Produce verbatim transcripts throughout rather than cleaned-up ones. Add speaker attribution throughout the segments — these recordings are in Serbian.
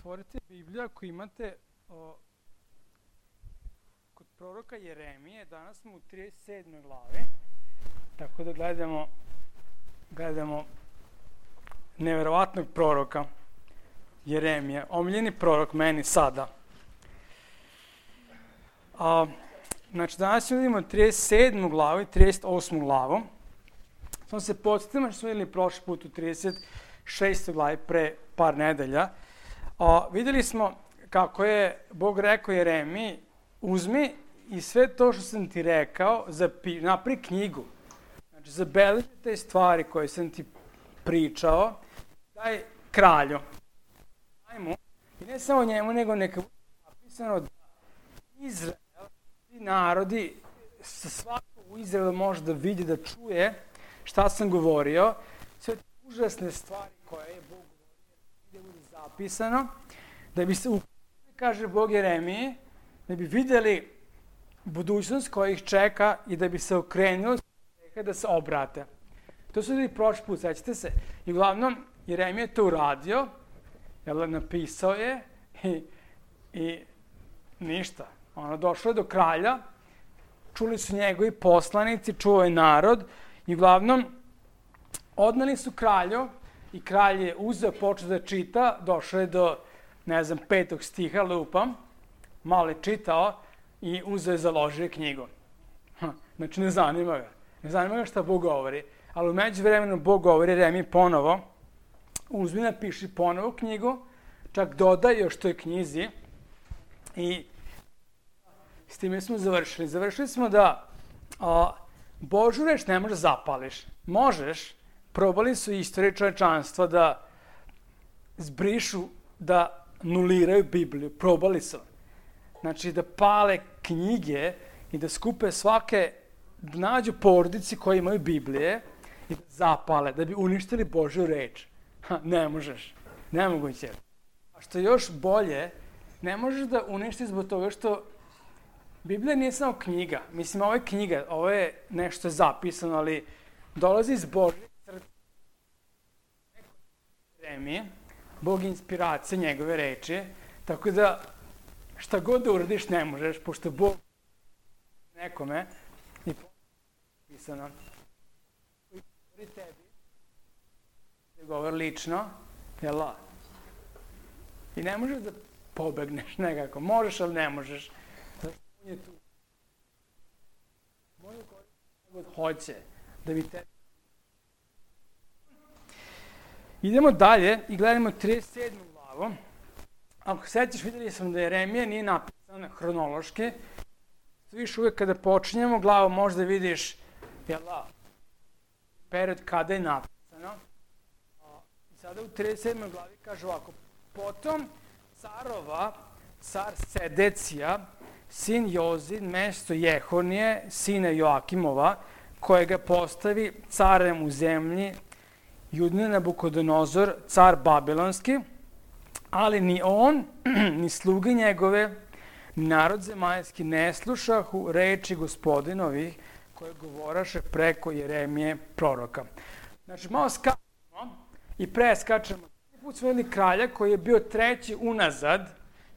Speaker 1: otvorite Bibliju ako imate o, kod proroka Jeremije. Danas smo u trideset sedmoj glavi, tako da gledamo, gledamo neverovatnog proroka Jeremija, omiljeni prorok meni sada. A, znači, danas vidimo trideset sedmu glavu i trideset osmu glavu. Samo se podsjetimo što smo vidjeli prošli put u trideset šestoj glavi pre par nedelja. A, vidjeli smo kako je Bog rekao Jeremiji, uzmi i sve to što sam ti rekao, zapi, napravi knjigu. Znači, zabeleži te stvari koje sam ti pričao, daj kralju. Daj mu. I ne samo njemu, nego neka bude napisano da Izrael, ti narodi, sa svako u Izraelu može da vidi, da čuje šta sam govorio, sve te užasne stvari koje je Bog govorio, da bude zapisano, da bi se, kaže Bog Jeremiji, da bi vidjeli budućnost koja ih čeka i da bi se okrenuli da se obrate. To su ljudi prošli put, sećate se. I uglavnom, Jeremija je to uradio, jel, napisao je i, i ništa. Ono, došlo je do kralja, čuli su njegovi poslanici, čuo je narod i uglavnom odneli su kralju i kralj je uzeo, počeo da čita, došao je do, ne znam, petog stiha, lupam, malo je čitao i uzeo je, založio knjigu. Ha, znači, ne zanima ga. Ne zanima ga šta Bog govori, ali u međuvremenu Bog govori Jeremiji ponovo, uzmi, napiši ponovo knjigu, čak dodaj još toj knjizi i s time smo završili. Završili smo da a, Božju reč ne možeš da zapališ. Možeš, probali su istorije čovečanstva da zbrišu, da nuliraju Bibliju. Probali su. Znači da pale knjige i da skupe svake, da nađu porodici koji imaju Biblije i da zapale, da bi uništili Božju reč. Ha, ne možeš. Nemoguće. A što je još bolje, ne možeš da uništiš zbog toga što Biblija nije samo knjiga. Mislim, ovo je knjiga, ovo je nešto zapisano, ali dolazi iz Božje srca. Bog je inspiracija njegove reči, tako da šta god da uradiš ne možeš, pošto Bog nekome i pisano. I govori tebi, da govori lično, jela. I ne možeš da pobegneš nekako. Možeš, ali ne možeš. On je tu. Može god hoće da bi te... Idemo dalje i gledamo trideset sedmu glavu. Ako sećaš, vidjeli sam da Jeremija nije napisan hronološki. Viš uvijek kada počinjemo glavu možda vidiš, jela, period kada je napisano. I sada u trideset sedmoj glavi kaže ovako, potom carova, car Sedecija, sin Jozin, mesto Jehonije, sina Joakimova, kojega postavi carem u zemlji, Judin Nabukodonozor, car Babilonski, ali ni on, ni sluge njegove, ni narod zemaljski ne slušahu reči gospodinovih koje govoraše preko Jeremije proroka. Znači, malo skačemo i preskačemo. Put smo vidjeli kralja koji je bio treći unazad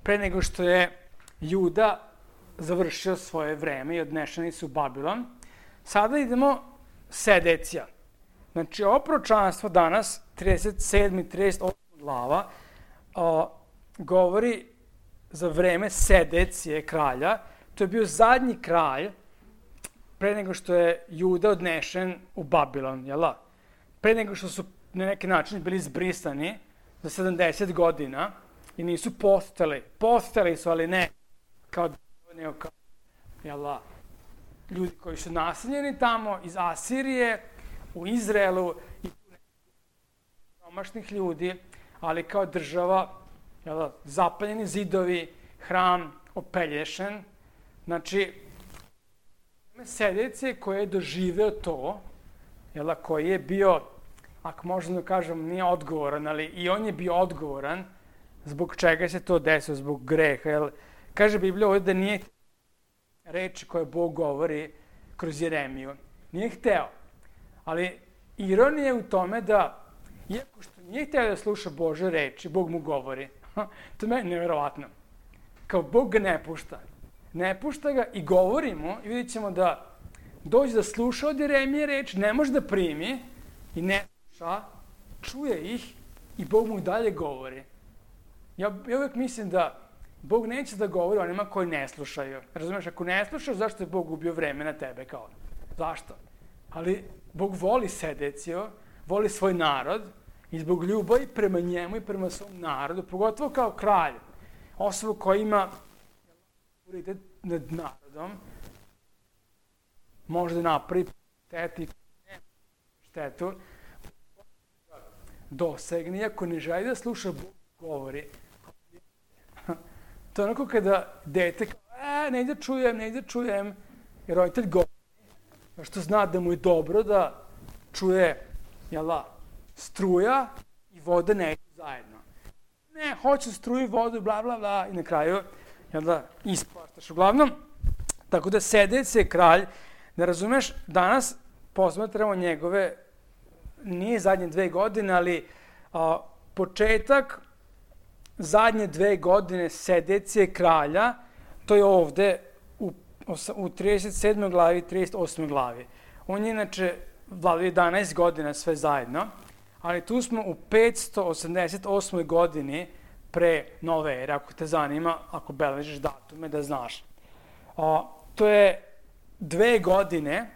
Speaker 1: pre nego što je Juda završio svoje vreme i odnešeni su u Babilon. Sada idemo Sedecija. Znači, ovo proročanstvo danas, trideset sedma i trideset osma glava, o, govori za vreme Sedecije kralja. To je bio zadnji kralj pre nego što je Juda odnešen u Babilon, jela? Pre nego što su na neki način bili zbrisani za sedamdeset godina i nisu postali. Postali su, ali ne kao, nego kao jela, ljudi koji su naseljeni tamo iz Asirije, u Izraelu i domašnih ljudi, ali kao država, jela, zapaljeni zidovi, hram opelješen. Znači, Sedecije koji je doživeo to, jela, koji je bio, ako možemo da kažem, nije odgovoran, ali i on je bio odgovoran zbog čega se to desilo, zbog greha. Jel, kaže Biblija ovdje da nije reči koje Bog govori kroz Jeremiju. Nije hteo. Ali ironija je u tome da, iako što nije hteo da sluša Bože reči, Bog mu govori. To je meni nevjerovatno. Kao Bog ga ne pušta. Ne pušta ga i govorimo i vidjet ćemo da dođe da sluša od Jeremije reč, ne može da primi i ne sluša, čuje ih i Bog mu dalje govori. Ja, ja uvijek mislim da Bog neće da govori onima koji ne slušaju. Razumeš, ako ne slušaš, zašto je Bog ubio vreme na tebe? Kao? Zašto? Ali Bog voli Sedeciju, voli svoj narod i zbog ljubavi prema njemu i prema svom narodu, pogotovo kao kralj, osoba koja ima autoritet nad narodom, može da napravi štetu, štetu, dosegne, ako ne želi da sluša Bog govori. To je onako kada dete kao, e, ne ide čujem, ne ide čujem, jer roditelj govori, što zna da mu je dobro da čuje, jel da, struja i voda ne idu zajedno. Ne, hoće struju i vodu, bla, bla, bla, i na kraju, jel da, ispaštaš. Uglavnom, tako da Sedec je kralj, da razumeš, danas posmatramo njegove, nije zadnje dve godine, ali a, početak zadnje dve godine Sedecije kralja, to je ovde u, u trideset sedmoj glavi i trideset osmoj glavi. On je inače vladao jedanaest godina sve zajedno, ali tu smo u petsto osamdeset osmoj godini pre nove ere, ako te zanima, ako beležiš datume, da znaš. A, to je dve godine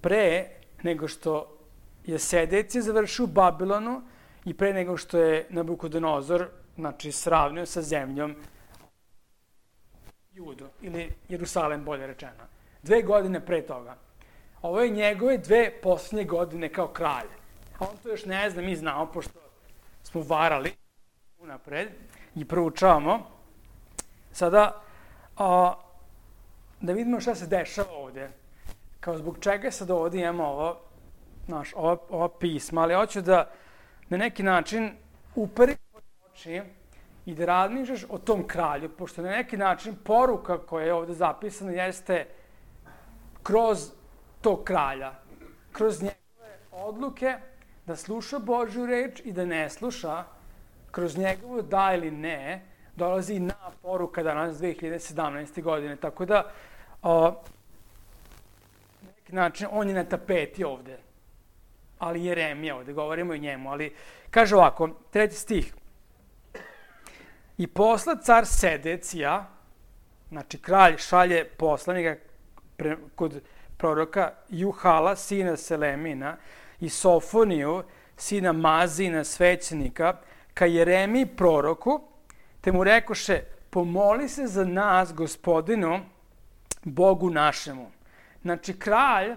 Speaker 1: pre nego što je Sedecija završio u Babilonu i pre nego što je Nabukodonozor, znači, sravnio sa zemljom Judu, ili Jerusalem, bolje rečeno. Dve godine pre toga. Ovo je njegove dve posljednje godine kao kralj. A on to još ne zna, mi znamo, pošto smo varali unapred i proučavamo. Sada, a, da vidimo šta se dešava ovde. Kao zbog čega sad ovde imamo ovo, znaš, ova, ova pisma, ali hoću da na neki način uperi oči i da razmišljaš o tom kralju, pošto na neki način poruka koja je ovde zapisana jeste kroz tog kralja, kroz njegove odluke da sluša Božju reč i da ne sluša, kroz njegovo da ili ne, dolazi na poruka danas dve hiljade sedamnaeste. godine. Tako da, o, na neki način, on je na tapeti ovde. Ali Jeremija ovde, govorimo i njemu. Ali kaže ovako, treći stih. I posla car Sedecija, znači kralj šalje poslanika pre, kod proroka Juhala, sina Selemina, i Sofoniju, sina Mazina, svećenika, ka Jeremiji proroku, te mu rekoše, pomoli se za nas, Gospodinu, Bogu našemu. Znači, kralj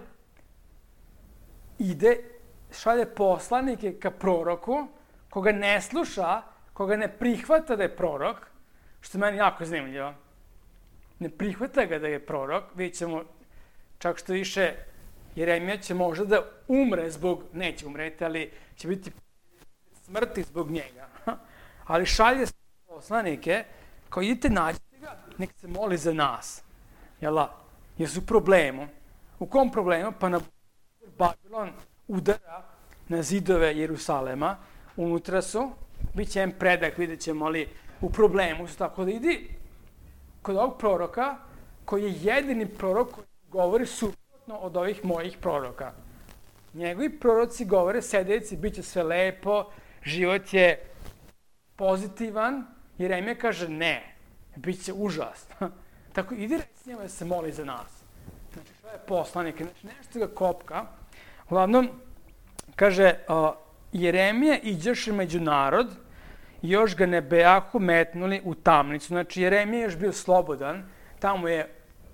Speaker 1: ide, šalje poslanike ka proroku, koga ne sluša, koga ne prihvata da je prorok, što je meni jako zanimljivo. Ne prihvata ga da je prorok, vidjet ćemo, čak što više, Jeremija će možda da umre zbog, neće umreti, ali će biti smrti zbog njega. Ali šalje poslanike, kao idite nađite ga, nek se moli za nas. Jel' jer su u problemu. U kom problemu? Pa na Babilon udara na zidove Jerusalema, unutra su, bit će jedan predak, vidjet ćemo, ali u problemu su, tako da idi kod ovog proroka, koji je jedini prorok koji govori suprotno od ovih mojih proroka. Njegovi proroci govore, Sedeci, bit će sve lepo, život je pozitivan, Jeremija kaže ne, bit će užasno. Tako idi reći njemu da se moli za nas. Znači, što je poslanik, znači nešto ga kopka. Uglavnom, kaže, uh, Jeremija iđeše među narod i još ga ne bejahu metnuli u tamnicu. Znači, Jeremija je još bio slobodan, tamo je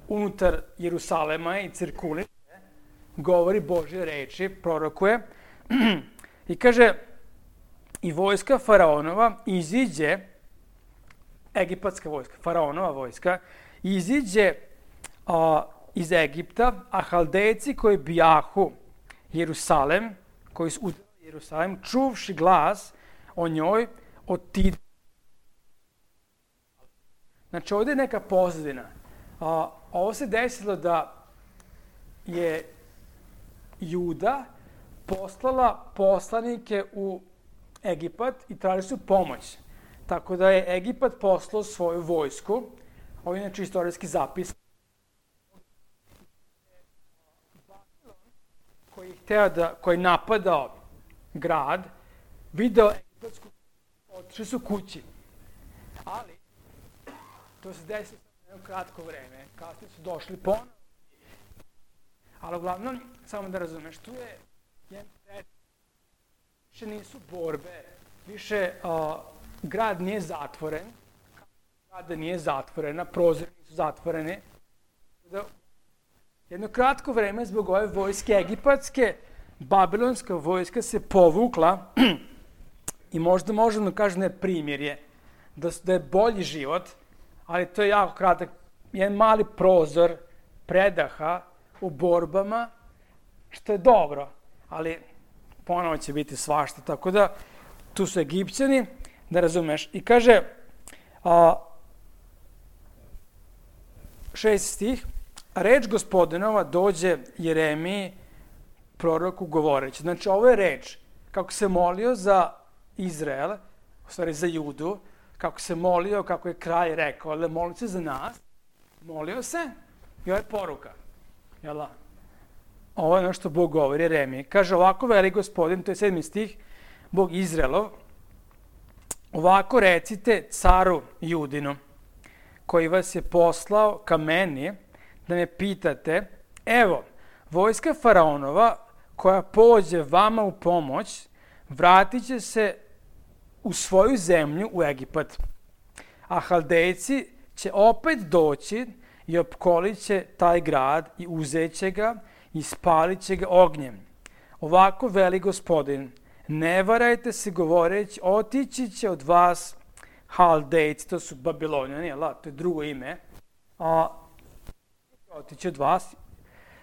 Speaker 1: unutar Jerusalema i cirkuliše, govori Božje reči, prorokuje. I kaže, i vojska faraonova iziđe, egipatska vojska, faraonova vojska, iziđe a, iz Egipta, a Haldejci koji bijahu Jerusalem, koji su udarali Jerusalem, čuvši glas o njoj, otid. Znači, ovdje je neka pozadina. A, ovo se desilo da je Juda poslala poslanike u Egipat i tražili su pomoć. Tako da je Egipat poslao svoju vojsku, ovo je inače istorijski zapis, koji je hteo da, koji je napadao grad, video egipatsku, otišli su kući. Ali, to se desilo na jedno kratko vreme, kasnije su došli ponovno. Ali uglavnom, samo da razumeš, tu je jedan pred, više nisu borbe, više uh, grad nije zatvoren, grada nije zatvorena, prozori nisu zatvorene. Da, jedno kratko vreme zbog ove vojske egipatske, babilonska vojska se povukla i možda možemo da kažem da je primirje, da, da je bolji život, ali to je jako kratak, jedan mali prozor predaha u borbama, što je dobro, ali ponovo će biti svašta, tako da tu su Egipćani, da razumeš. I kaže, a, šest stih, reč Gospodinova dođe Jeremiji, proroku govoreći. Znači, ovo je reč, kako se molio za Izrael, u stvari za Judu, kako se molio, kako je kralj rekao, ali molio se za nas, molio se i ovo je poruka. Jel? Ovo je ono što Bog govori Jeremiji. Kaže, ovako veli Gospodin, to je sedmi stih, Bog Izraelov, ovako recite caru Judinu, koji vas je poslao ka meni, da me pitate, evo, vojska faraonova koja pođe vama u pomoć, vratit će se u svoju zemlju, u Egipat. A Haldejci će opet doći i opkolit će taj grad i uzet će ga i spalit će ga ognjem. Ovako veli Gospodin, ne varajte se govoreći, otići će od vas Haldejci, to su Babilonjani, jel, to je drugo ime, a, otići od vas,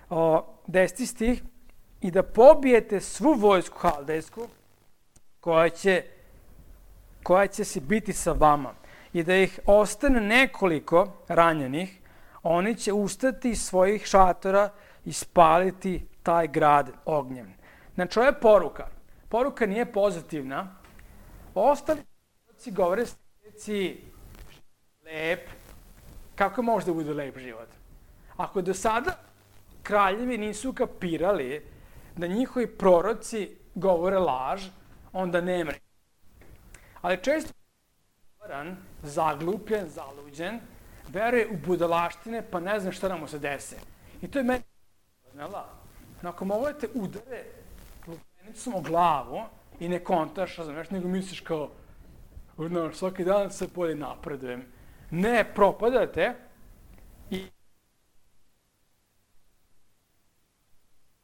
Speaker 1: a, deseti stih, i da pobijete svu vojsku Haldejsku koja će, koja će se biti sa vama i da ih ostane nekoliko ranjenih, oni će ustati iz svojih šatora i spaliti taj grad ognjem. Znači, ovo je poruka. Poruka nije pozitivna. Ostali proroci govore sljedeći lep. Kako može da bude lep život? Ako do sada kraljevi nisu kapirali da njihovi proroci govore laž, onda nema. Ali često je zaglupljen, zaluđen, veruje u budalaštine, pa ne zna šta nam se dese. I to je meni znala. Nakon ovo te udare lupenicom o glavu i ne kontaš, znaš, nego misliš kao, no, svaki dan se bolje napredujem. Ne, propadate i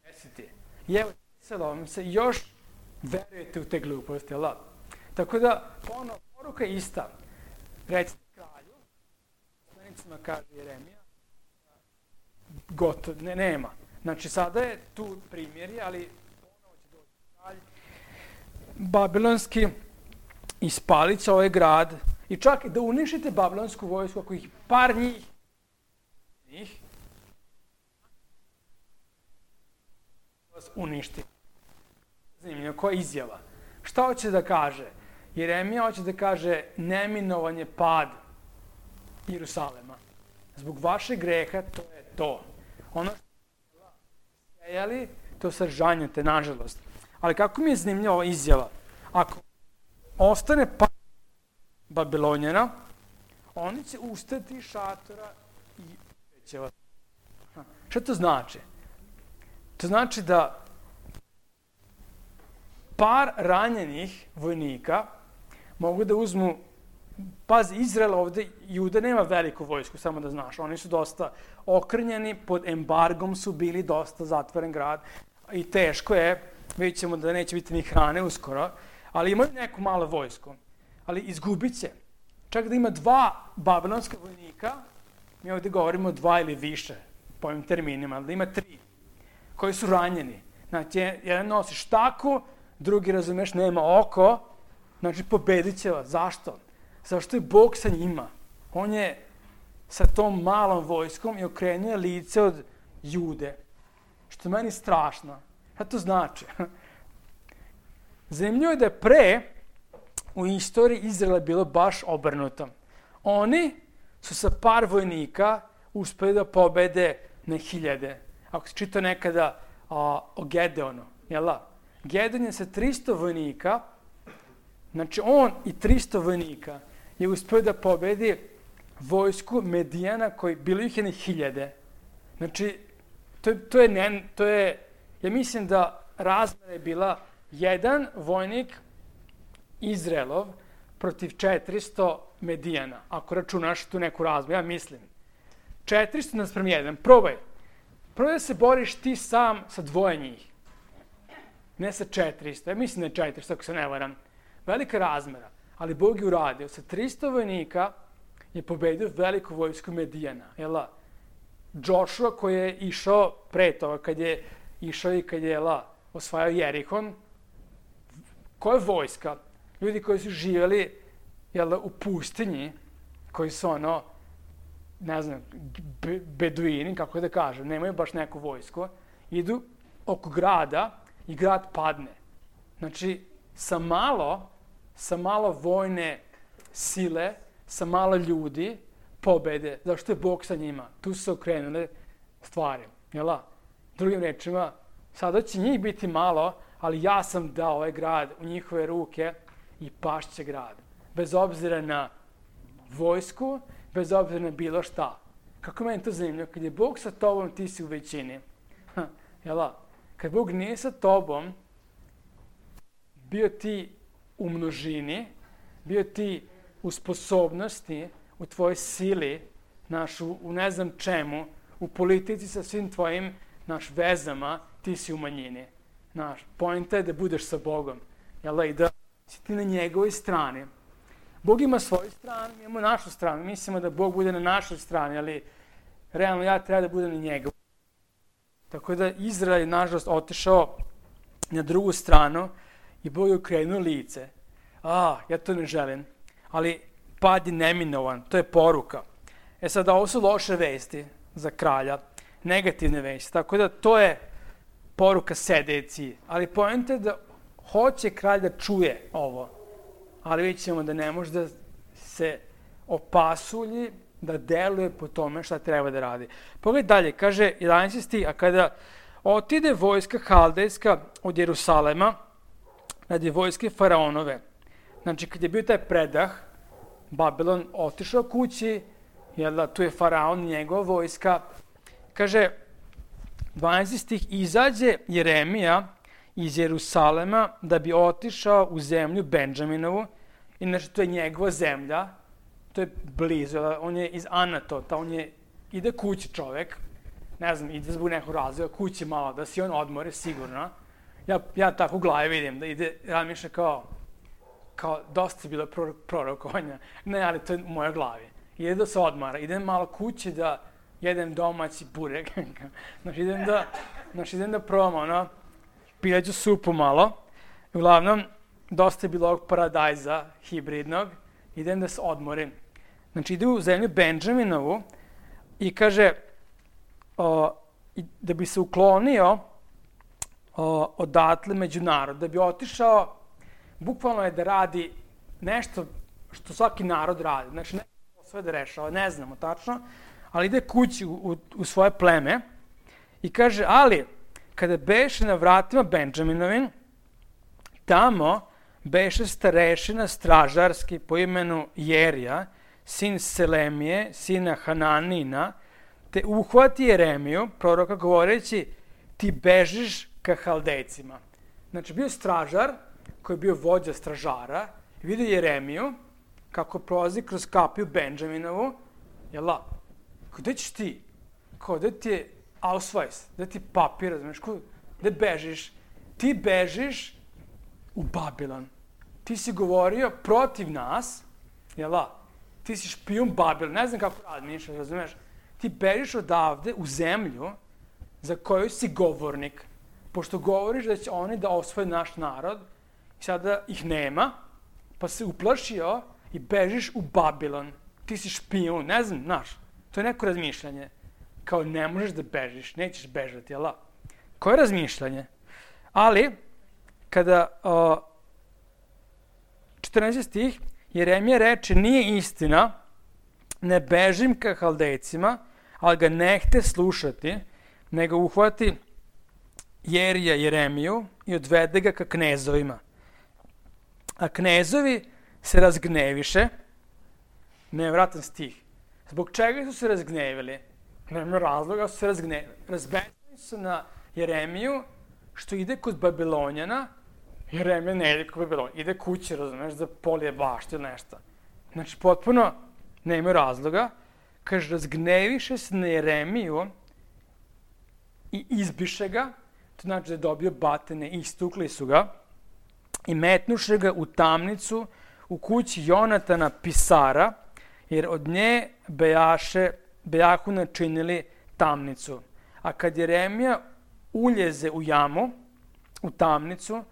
Speaker 1: desiti. I evo, sada vam se još verujete u te gluposti, jel da? Tako da, ono, poruka je ista. Recite kralju, poslanicima kaže Jeremija, gotovo, ne, nema. Znači, sada je tu primjerje, ali ponovo će doći kralj babilonski i spalit će ovaj grad i čak da uništite babilonsku vojsku, ako ih par njih, njih vas uništi. Zanimljivo, koja je izjava? Šta hoće da kaže? Jeremija hoće da kaže neminovan je pad Jerusalema. Zbog vašeg greha to je to. Ono što ste sejali, to sad žanjete, nažalost. Ali kako mi je zanimljiva ova izjava? Ako ostane pad Babilonjana, oni će ustati iz šatora i će vas. Šta to znači? To znači da par ranjenih vojnika mogu da uzmu, pazi, Izrael ovde, Juda nema veliku vojsku, samo da znaš, oni su dosta okrnjeni, pod embargom su bili, dosta zatvoren grad i teško je, vidjet ćemo da neće biti ni hrane uskoro, ali imaju neku malu vojsku, ali izgubit će. Čak da ima dva babilonska vojnika, mi ovde govorimo dva ili više, po ovim terminima, da ima tri, koji su ranjeni. Znači, jedan nosi štaku, drugi, razumeš, nema oko, znači pobedit će vas. Zašto? Zašto je Bog sa njima. On je sa tom malom vojskom i okrenuje lice od Jude. Što je meni strašno. Šta to znači? Zanimljivo je da je pre u istoriji Izraela bilo baš obrnuto. Oni su sa par vojnika uspeli da pobede na hiljade. Ako se čita nekada a, o Gedeonu, jel da? Gedeon je sa tristo vojnika, znači on i tristo vojnika je uspio da pobedi vojsku Medijana koji bilo ih je na hiljade. Znači, to, to, je, ne, to je, ja mislim da razmera je bila jedan vojnik Izraelov protiv četiristo Medijana, ako računaš tu neku razmeru, ja mislim. četiristo naspram jedan, probaj. Probaj da se boriš ti sam sa dvoje njih. Ne sa četiristo, ja mislim da je četiristo, ako se ne varam. Velika razmera, ali Bog je uradio. Sa tristo vojnika je pobedio veliku vojsku Medijana. Jela, Joshua koji je išao pre toga, kad je išao i kad je jela, osvajao Jerihon, koja je vojska? Ljudi koji su živjeli jela, u pustinji, koji su ono, ne znam, be, beduini, kako da kažem, nemaju baš neku vojsku, idu oko grada i grad padne. Znači, sa malo, sa malo vojne sile, sa malo ljudi, pobede, zašto je Bog sa njima. Tu su se okrenule stvari, jel' Drugim rečima, sada će njih biti malo, ali ja sam dao ovaj grad u njihove ruke i pašće grad. Bez obzira na vojsku, bez obzira na bilo šta. Kako meni to zanimljivo, kad je Bog sa tobom, ti si u većini. Ha, jel' Kad Bog nije sa tobom, bio ti u množini, bio ti u sposobnosti, u tvojoj sili, naš, u, u ne znam čemu, u politici sa svim tvojim naš vezama, ti si u manjini. Naš, poenta je da budeš sa Bogom, jel' i da si ti na njegovoj strani. Bog ima svoju stranu, mi imamo našu stranu. Mislimo da Bog bude na našoj strani, ali realno ja treba da budem na njegovoj. Tako da Izrael je, nažalost, otišao na drugu stranu i Bog je okrenuo lice. A, ja to ne želim. Ali pad je neminovan, to je poruka. E sad, ovo su loše vesti za kralja, negativne vesti. Tako da to je poruka sedeci. Ali poenta je da hoće kralj da čuje ovo. Ali vidjet ćemo da ne može da se opasulji, da deluje po tome šta treba da radi. Pogledaj dalje, kaže jedanaesti stih, a kada otide vojska Haldejska od Jerusalema radi vojske Faraonove, znači kad je bio taj predah, Babilon otišao kući, jel da, tu je Faraon, njegova vojska, kaže dvanaesti stih, izađe Jeremija iz Jerusalema da bi otišao u zemlju Benđaminovu, inače to je njegova zemlja, to je blizu, on je iz Anatota, on je, ide kući čovek, ne znam, ide zbog nekog razloga, kući malo, da si on odmore, sigurno. Ja, ja tako u glavi vidim, da ide, razmišlja kao, kao dosta je bilo prorokovanja, ne, ali to je u mojoj glavi. Ide da se odmara, idem malo kući da jedem domaći burek, znači idem da, znači idem da probam, ono, pileću supu malo, uglavnom, dosta je bilo ovog paradajza hibridnog, idem da se odmorim. Znači, ide u zemlju Benđaminovu i kaže o, da bi se uklonio o, odatle među narod, da bi otišao, bukvalno je da radi nešto što svaki narod radi. Znači, ne sve da rešava, ne znamo tačno, ali ide kući u, u, u svoje pleme i kaže, ali kada beše na vratima Benđaminovim, tamo beše starešina stražarski po imenu Jerija, sin Selemije, sina Hananina, te uhvati Jeremiju, proroka, govoreći, ti bežiš ka Haldejcima. Znači, bio stražar, koji je bio vođa stražara, i vidio Jeremiju, kako prolazi kroz kapiju Benđaminovu, jel la, gde ćeš ti? Kao, gde ti je ausweis, gde ti je papir, razumiješ, gde bežiš? Ti bežiš u Babilon. Ti si govorio protiv nas, jel la, ti si špijun Babilon, ne znam kako radiš, razumiješ? Ti bežiš odavde u zemlju za koju si govornik, pošto govoriš da će oni da osvoje naš narod, i sada ih nema, pa se uplašio i bežiš u Babilon. Ti si špijun, ne znam, znaš, to je neko razmišljanje. Kao ne možeš da bežiš, nećeš bežati, jel da? Koje razmišljanje? Ali, kada o, četrnaesti stih, Jeremija reče, nije istina, ne bežim ka Haldejcima, ali ga nehte slušati, nego uhvati Jerija Jeremiju i odvede ga ka knezovima. A knezovi se razgneviše, nevratan stih. Zbog čega su se razgnevili? Nema razloga, su se razgnevili. Razbesnili su na Jeremiju, što ide kod Babilonjana. Jeremija ne ide kod Babilonjana, ide kući, razumeš, da polije baštu ili nešto. Znači, potpuno nema razloga. Kaže, razgneviše se na Jeremiju i izbiše ga, to znači da je dobio batine, istukli su ga i metnuše ga u tamnicu u kući Jonatana pisara, jer od nje bejaše, bejahu načinili tamnicu. A kad Jeremija uljeze u jamu, u tamnicu,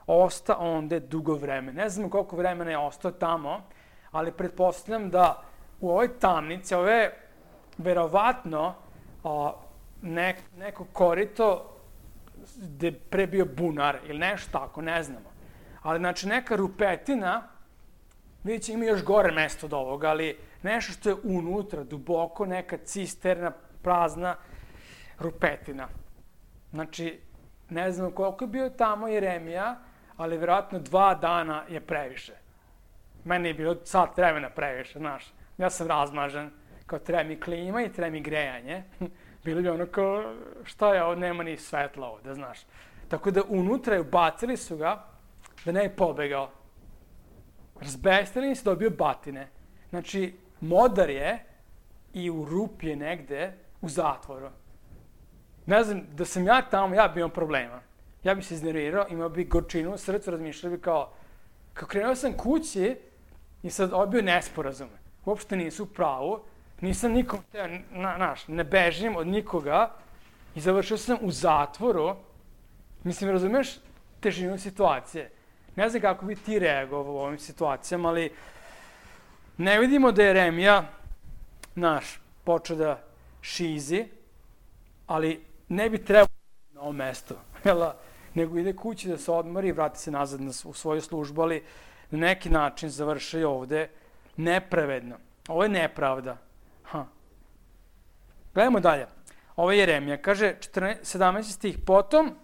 Speaker 1: osta onda dugo vremena. Ne znam koliko vremena je ostao tamo, ali pretpostavljam da u ovoj tamnici, ovo je verovatno o, nek, neko korito gde je pre bio bunar ili nešto tako, ne znamo. Ali znači neka rupetina, vidjet će ima još gore mesto od ovoga, ali nešto što je unutra, duboko, neka cisterna, prazna rupetina. Znači, ne znamo koliko je bio tamo Jeremija, ali verovatno dva dana je previše. Meni je bilo sat vremena previše, znaš. Ja sam razmažen, kao treba mi klima i treba mi grejanje. Bilo bi ono kao, šta je ovo, nema ni svetla ovde, znaš. Tako da unutra je ubacili su ga, da ne je pobegao. Razbestili se, dobio batine. Znači, modar je i u rupi je negde u zatvoru. Ne znam, da sam ja tamo, ja bi imao problema. Ja bi se iznervirao, imao bi gorčinu u srcu, razmišljao bi kao, kao krenuo sam kući i sad obio nesporazum. Uopšte nisu u pravu, nisam nikom, na, naš, ne bežim od nikoga i završio sam u zatvoru. Mislim, razumeš težinu situacije. Ne znam kako bi ti reagovao u ovim situacijama, ali ne vidimo da je Jeremija, naš, počeo da šizi, ali ne bi trebao na ovo mesto, jel, nego ide kući da se odmori i vrati se nazad na, u svoju službu, ali na neki način završaju ovde nepravedno. Ovo je nepravda. Ha. Gledamo dalje. Ovo je Jeremija. Kaže, sedamnaesti stih. Potom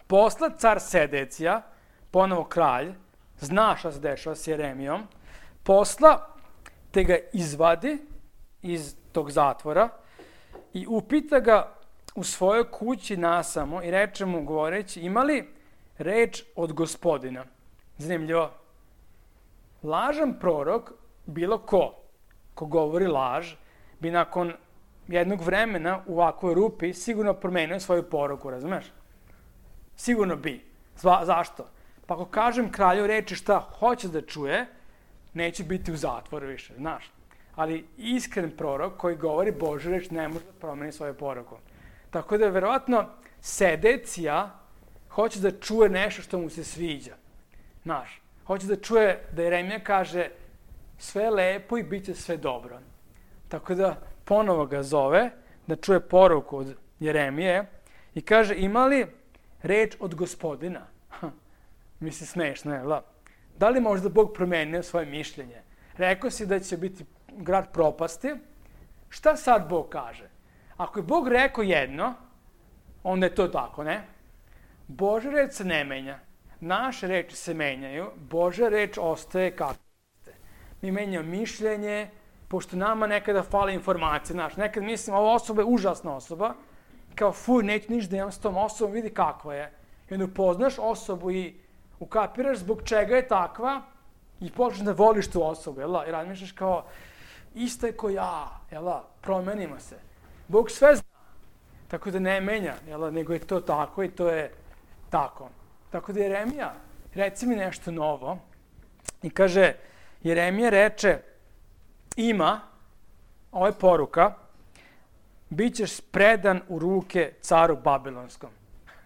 Speaker 1: posla car Sedecija, ponovo kralj, zna šta se dešava s Jeremijom, posla te ga izvadi iz tog zatvora i upita ga u svojoj kući nasamo i reče mu govoreći, ima li reč od Gospodina? Zanimljivo. Lažan prorok, bilo ko, ko govori laž, bi nakon jednog vremena u ovakvoj rupi sigurno promenio svoju poruku, razumeš? Sigurno bi. Zva, zašto? Pa ako kažem kralju reči šta hoće da čuje, neće biti u zatvoru više, znaš. Ali iskren prorok koji govori Božju reč ne može da promeni svoju poruku. Tako da, verovatno, Sedecija hoće da čuje nešto što mu se sviđa. Znaš, hoće da čuje da Jeremija kaže sve je lepo i bit će sve dobro. Tako da, ponovo ga zove da čuje poruku od Jeremije i kaže, ima li reč od Gospodina? Ha, misli, smešno je, la. Da li možda Bog promenio svoje mišljenje? Rekao si da će biti grad propasti. Šta sad Bog kaže? Ako je Bog rekao jedno, onda je to tako, ne? Božja reč se ne menja. Naše reči se menjaju. Božja reč ostaje kako ste. Mi menjamo mišljenje, pošto nama nekada fali informacije. Znaš, nekad mislim, ova osoba je užasna osoba. Kao, fuj, neću ništa da imam s tom osobom, vidi kakva je. I onda upoznaš osobu i ukapiraš zbog čega je takva i počneš da voliš tu osobu, jel? I razmišljaš kao, isto je ko ja, jel? Promenimo se. Bog sve zna, tako da ne menja, jel? Nego je to tako i to je tako. Tako da Jeremija, reci mi nešto novo. I kaže, Jeremija reče, ima, ovo je poruka, bit ćeš predan u ruke caru Babilonskom.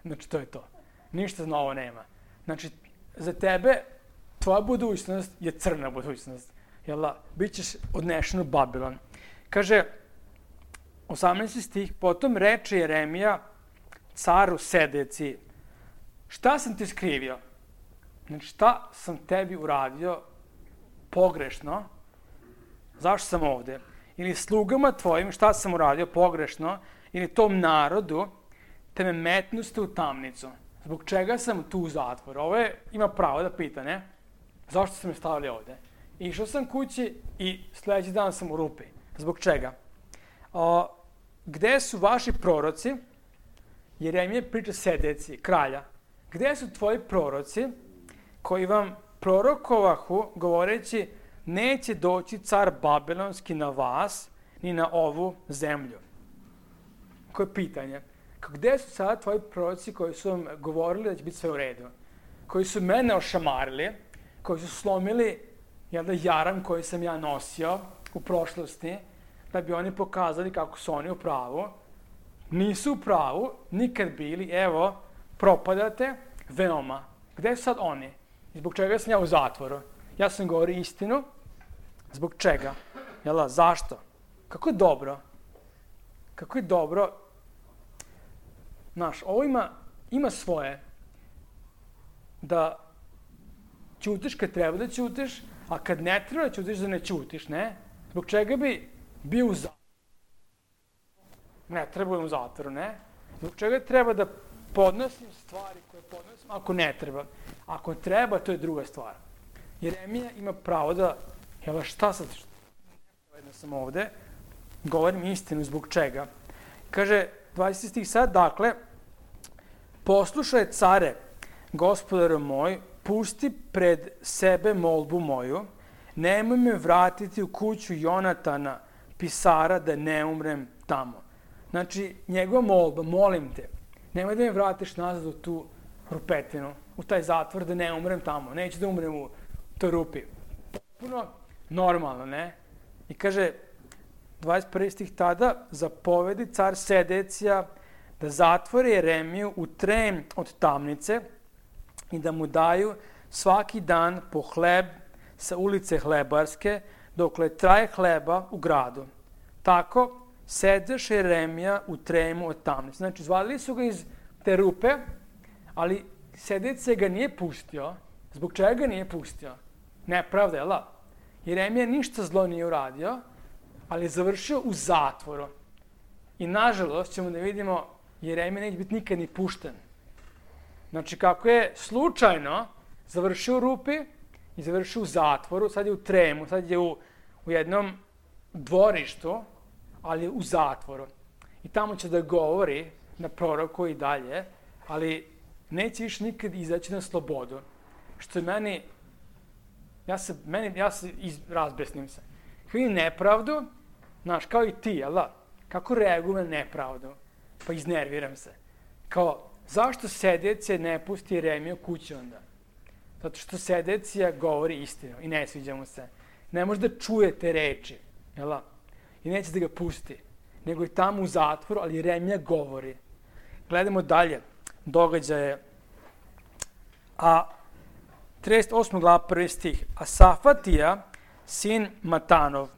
Speaker 1: Znači, to je to. Ništa novo nema. Znači, za tebe, tvoja budućnost je crna budućnost. Jel? Bićeš odnešen u Babilon. Kaže, osamnaesti stih, potom reče Jeremija caru Sedeciji, šta sam ti skrivio? Znači, šta sam tebi uradio pogrešno, zašto sam ovde? Ili slugama tvojim, šta sam uradio pogrešno, ili tom narodu, te me metnuste u tamnicu. Zbog čega sam tu u zatvoru? Ovo je, ima pravo da pita, ne? Zašto ste me stavili ovde? Išao sam kući i sledeći dan sam u rupi. Zbog čega? O, gde su vaši proroci? Jeremija priča Sedeciji, kralja. Gde su tvoji proroci koji vam prorokovahu govoreći neće doći car Babilonski na vas ni na ovu zemlju? Koje pitanje? Gde su sada tvoji proroci koji su vam govorili da će biti sve u redu? Koji su mene ošamarili, koji su slomili jel da, jaram koji sam ja nosio u prošlosti, da bi oni pokazali kako su oni u pravu. Nisu u pravu, nikad bili, evo, propadate veoma. Gde su sad oni? I zbog čega sam ja u zatvoru? Ja sam govorio istinu. Zbog čega? Jel da, zašto? Kako je dobro? Kako je dobro? Znaš, ovo ima, ima svoje. Da ćutiš kad treba da ćutiš, a kad ne treba da ćutiš da ne ćutiš, ne? Zbog čega bi bio u zatvoru? Ne treba u zatvoru, ne? Zbog čega treba da podnosim stvari koje podnosim ako ne treba? Ako treba, to je druga stvar. Jeremija ima pravo da, jel šta sad, jedno sam ovde, govorim istinu zbog čega. Kaže, dvadeseti stih sad, dakle, poslušaj care, gospodaru moj, pusti pred sebe molbu moju, nemoj me vratiti u kuću Jonatana, pisara, da ne umrem tamo. Znači, njegova molba, molim te, nemoj da me vratiš nazad u tu rupetinu, u taj zatvor, da ne umrem tamo. Neću da umrem u toj rupi. Potpuno normalno, ne? I kaže, dvadeset prvi stih tada, zapovedi car Sedecija da zatvori Jeremiju u trem od tamnice i da mu daju svaki dan po hleb sa ulice Hlebarske, dokle traje hleba u gradu. Tako sedeše Jeremija u tremu od tamnice. Znači, izvadili su ga iz te rupe, ali Sedecija ga nije pustio. Zbog čega ga nije pustio? Nepravda, jel da? Jeremija ništa zlo nije uradio, ali je završio u zatvoru. I nažalost ćemo da vidimo, Jeremija neće biti nikad ni pušten. Znači, kako je slučajno završio u rupi i završio u zatvoru, sad je u tremu, sad je u, u jednom dvorištu, ali je u zatvoru. I tamo će da govori na proroku i dalje, ali neće više nikad izaći na slobodu. Što je meni, ja se, meni, ja se iz, razbesnim se. Kako vidim nepravdu, znaš, kao i ti, jel da? Kako reagujem na nepravdu? Pa iznerviram se. Kao, zašto Sedecija ne pusti Jeremiju kući onda? Zato što Sedecija govori istinu i ne sviđa mu se. Ne može da čuje te reči, jel da? I neće da ga pusti. Nego je tamo u zatvoru, ali Jeremija govori. Gledamo dalje događaje. A trideset osma glava, prvi stih. A Safatija, sin Matanov,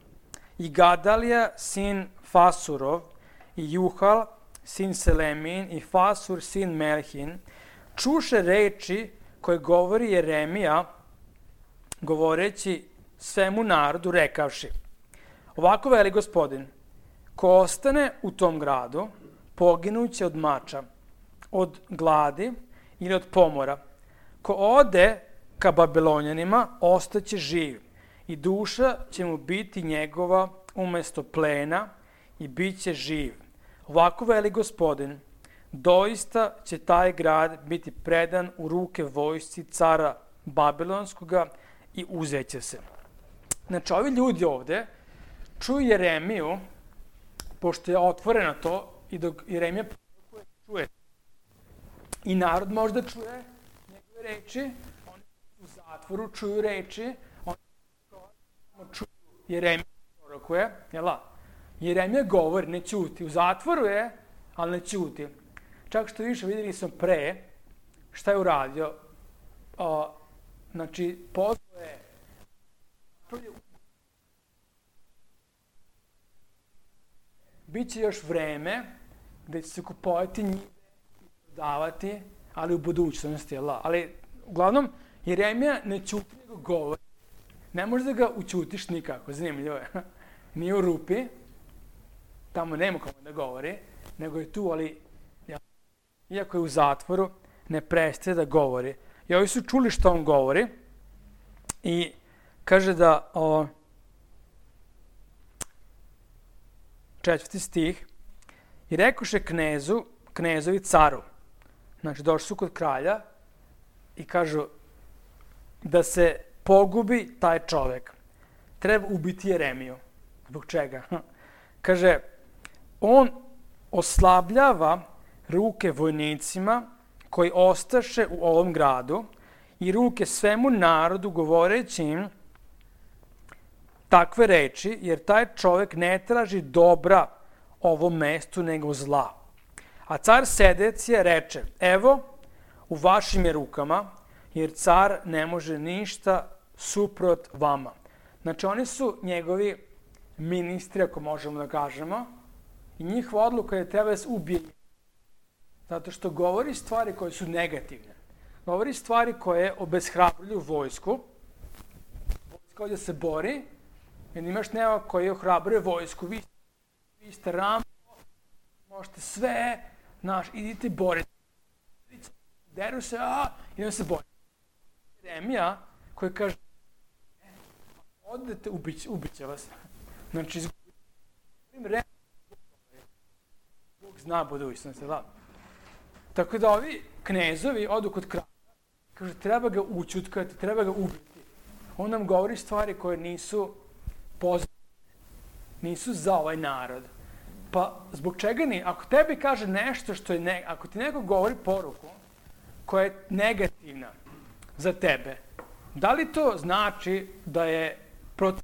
Speaker 1: i Gadalija, sin Fasurov, i Juhal, sin Selemin, i Fasur, sin Melhin, čuše reči koje govori Jeremija, govoreći svemu narodu, rekavši: ovako veli Gospodin, ko ostane u tom gradu, poginuće od mača, od gladi ili od pomora. Ko ode ka Babilonjanima, ostaće živ i duša će mu biti njegova umesto plena i bit će živ. Ovako veli Gospodin, doista će taj grad biti predan u ruke vojsci cara Babilonskoga i uzeće se. Znači, ovi ljudi ovde čuju Jeremiju, pošto je otvoreno to, i dok Jeremija čuje. I narod možda čuje njegove reči, oni u zatvoru čuju reči, oni čuju Jeremija prorokuje, jel da? Jeremija govori, ne ćuti. U zatvoru je, ali ne ćuti. Čak što više vidjeli sam pre, šta je uradio. O, znači, pozvao je biće još vreme gde će se kupovati njive i prodavati, ali u budućnosti, jel da? Ali, uglavnom, Jeremija ne ćuti nego govori. ne možeš da ga učutiš nikako, zanimljivo je. Nije u rupi, tamo nema kome da govori, nego je tu, ali iako je u zatvoru, ne prestaje da govori. I ovi su čuli što on govori i kaže da, o, četvrti stih, i rekoše knezu, knezovi caru, znači došli su kod kralja i kažu da se pogubi taj čovek. Treba ubiti Jeremiju. Zbog čega? Kaže, on oslabljava ruke vojnicima koji ostaše u ovom gradu i ruke svemu narodu govoreći im takve reči, jer taj čovek ne traži dobra ovom mestu nego zla. A car Sedecija reče, evo, u vašim je rukama, jer car ne može ništa suprot vama. Znači, oni su njegovi ministri, ako možemo da kažemo, i njihova odluka je treba da se ubije. Zato što govori stvari koje su negativne. Govori stvari koje obeshrabruju vojsku. Vojska ovdje se bori, jer imaš nema koji ohrabruje vojsku. Vi, vi ste Rambo, možete sve, znaš, idite boriti. Deru se, a, idemo se boriti. Jeremija koji kaže, odete, ubit, ubit će vas. Znači, izgubim Bog zna budućnost, da. Tako da ovi knezovi odu kod kralja, kaže, treba ga učutkati, treba ga ubiti. On nam govori stvari koje nisu pozitivne, nisu za ovaj narod. Pa zbog čega ni? Ako tebi kaže nešto što je, ne, ako ti neko govori poruku koja je negativna za tebe, da li to znači da je protiv?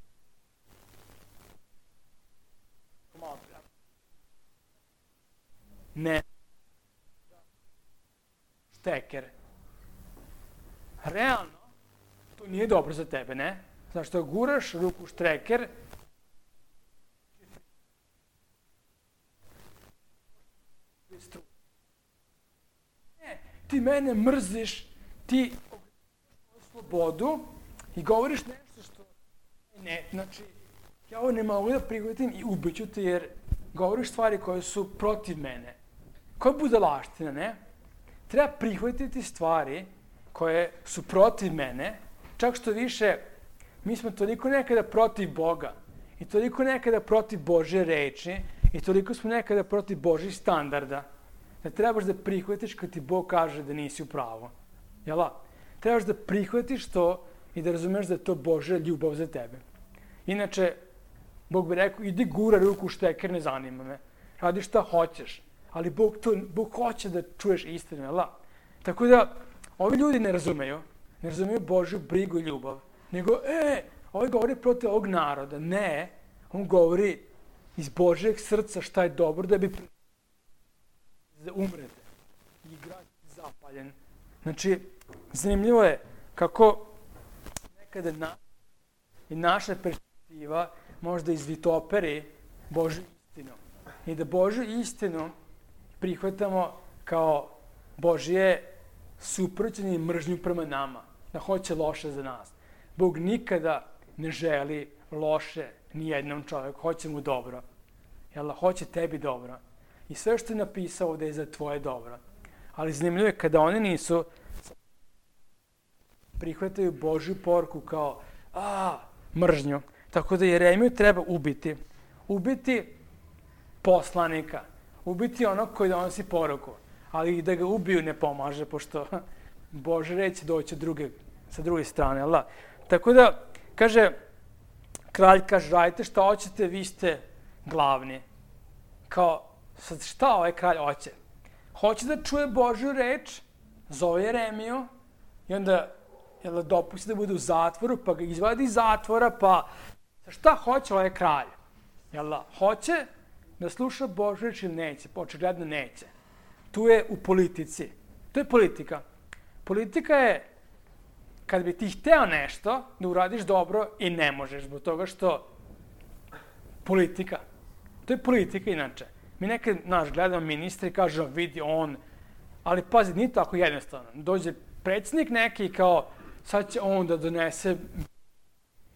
Speaker 1: Ne. Šteker. Realno, to nije dobro za tebe, ne? Zašto guraš ruku šteker, ne, ti mene mrziš, ti slobodu i govoriš nešto što ne, znači, ja ovo ne mogu da prihvatim i ubiću te jer govoriš stvari koje su protiv mene. Koja budalaština, ne? Treba prihvatiti stvari koje su protiv mene, čak što više, mi smo toliko nekada protiv Boga i toliko nekada protiv Božje reči i toliko smo nekada protiv Božjih standarda, da trebaš da prihvatiš kad ti Bog kaže da nisi u pravu. Jel' trebaš da prihvatiš to i da razumeš da je to Božja ljubav za tebe. Inače, Bog bi rekao, idi gura ruku u šteker, ne zanima me. Radi šta hoćeš. Ali Bog, to, Bog hoće da čuješ istinu, jel' Tako da, ovi ljudi ne razumeju. Ne razumeju Božju brigu i ljubav. Nego, e, ovaj govori protiv ovog naroda. Ne, on govori iz Božjeg srca šta je dobro da bi da umrete. I grad zapaljen. Znači, zanimljivo je kako nekada na, i naša perspektiva možda izvitoperi Božju istinu. I da Božju istinu prihvatamo kao Božje suprotstavljanje i mržnju prema nama. Da hoće loše za nas. Bog nikada ne želi loše ni jednom čovjeku. Hoće mu dobro. Jel, hoće tebi dobro. I sve što je napisao ovdje je za tvoje dobro. Ali zanimljivo je kada oni nisu prihvataju Božju poruku kao a, mržnju. Tako da Jeremiju treba ubiti. Ubiti poslanika. Ubiti onog koji donosi poruku. Ali da ga ubiju ne pomaže, pošto Bože reći doći druge, sa druge strane. Allah. Tako da, kaže, kralj kaže, radite šta hoćete, vi ste glavni. Kao, sad šta ovaj kralj hoće? Hoće da čuje Božju reč, zove Jeremiju, i onda jel, dopusti da bude u zatvoru, pa ga izvadi iz zatvora, pa šta hoće ovaj kralj? Jel, hoće da sluša Božju reč ili neće? Očigledno neće. Tu je u politici. To je politika. Politika je kad bi ti hteo nešto da uradiš dobro i ne možeš, zbog toga što politika. To je politika inače. Mi nekad, naš, gledamo ministra i kažemo, vidi on, ali pazi, nije tako jednostavno. Dođe predsjednik neki kao, sad će on da donese,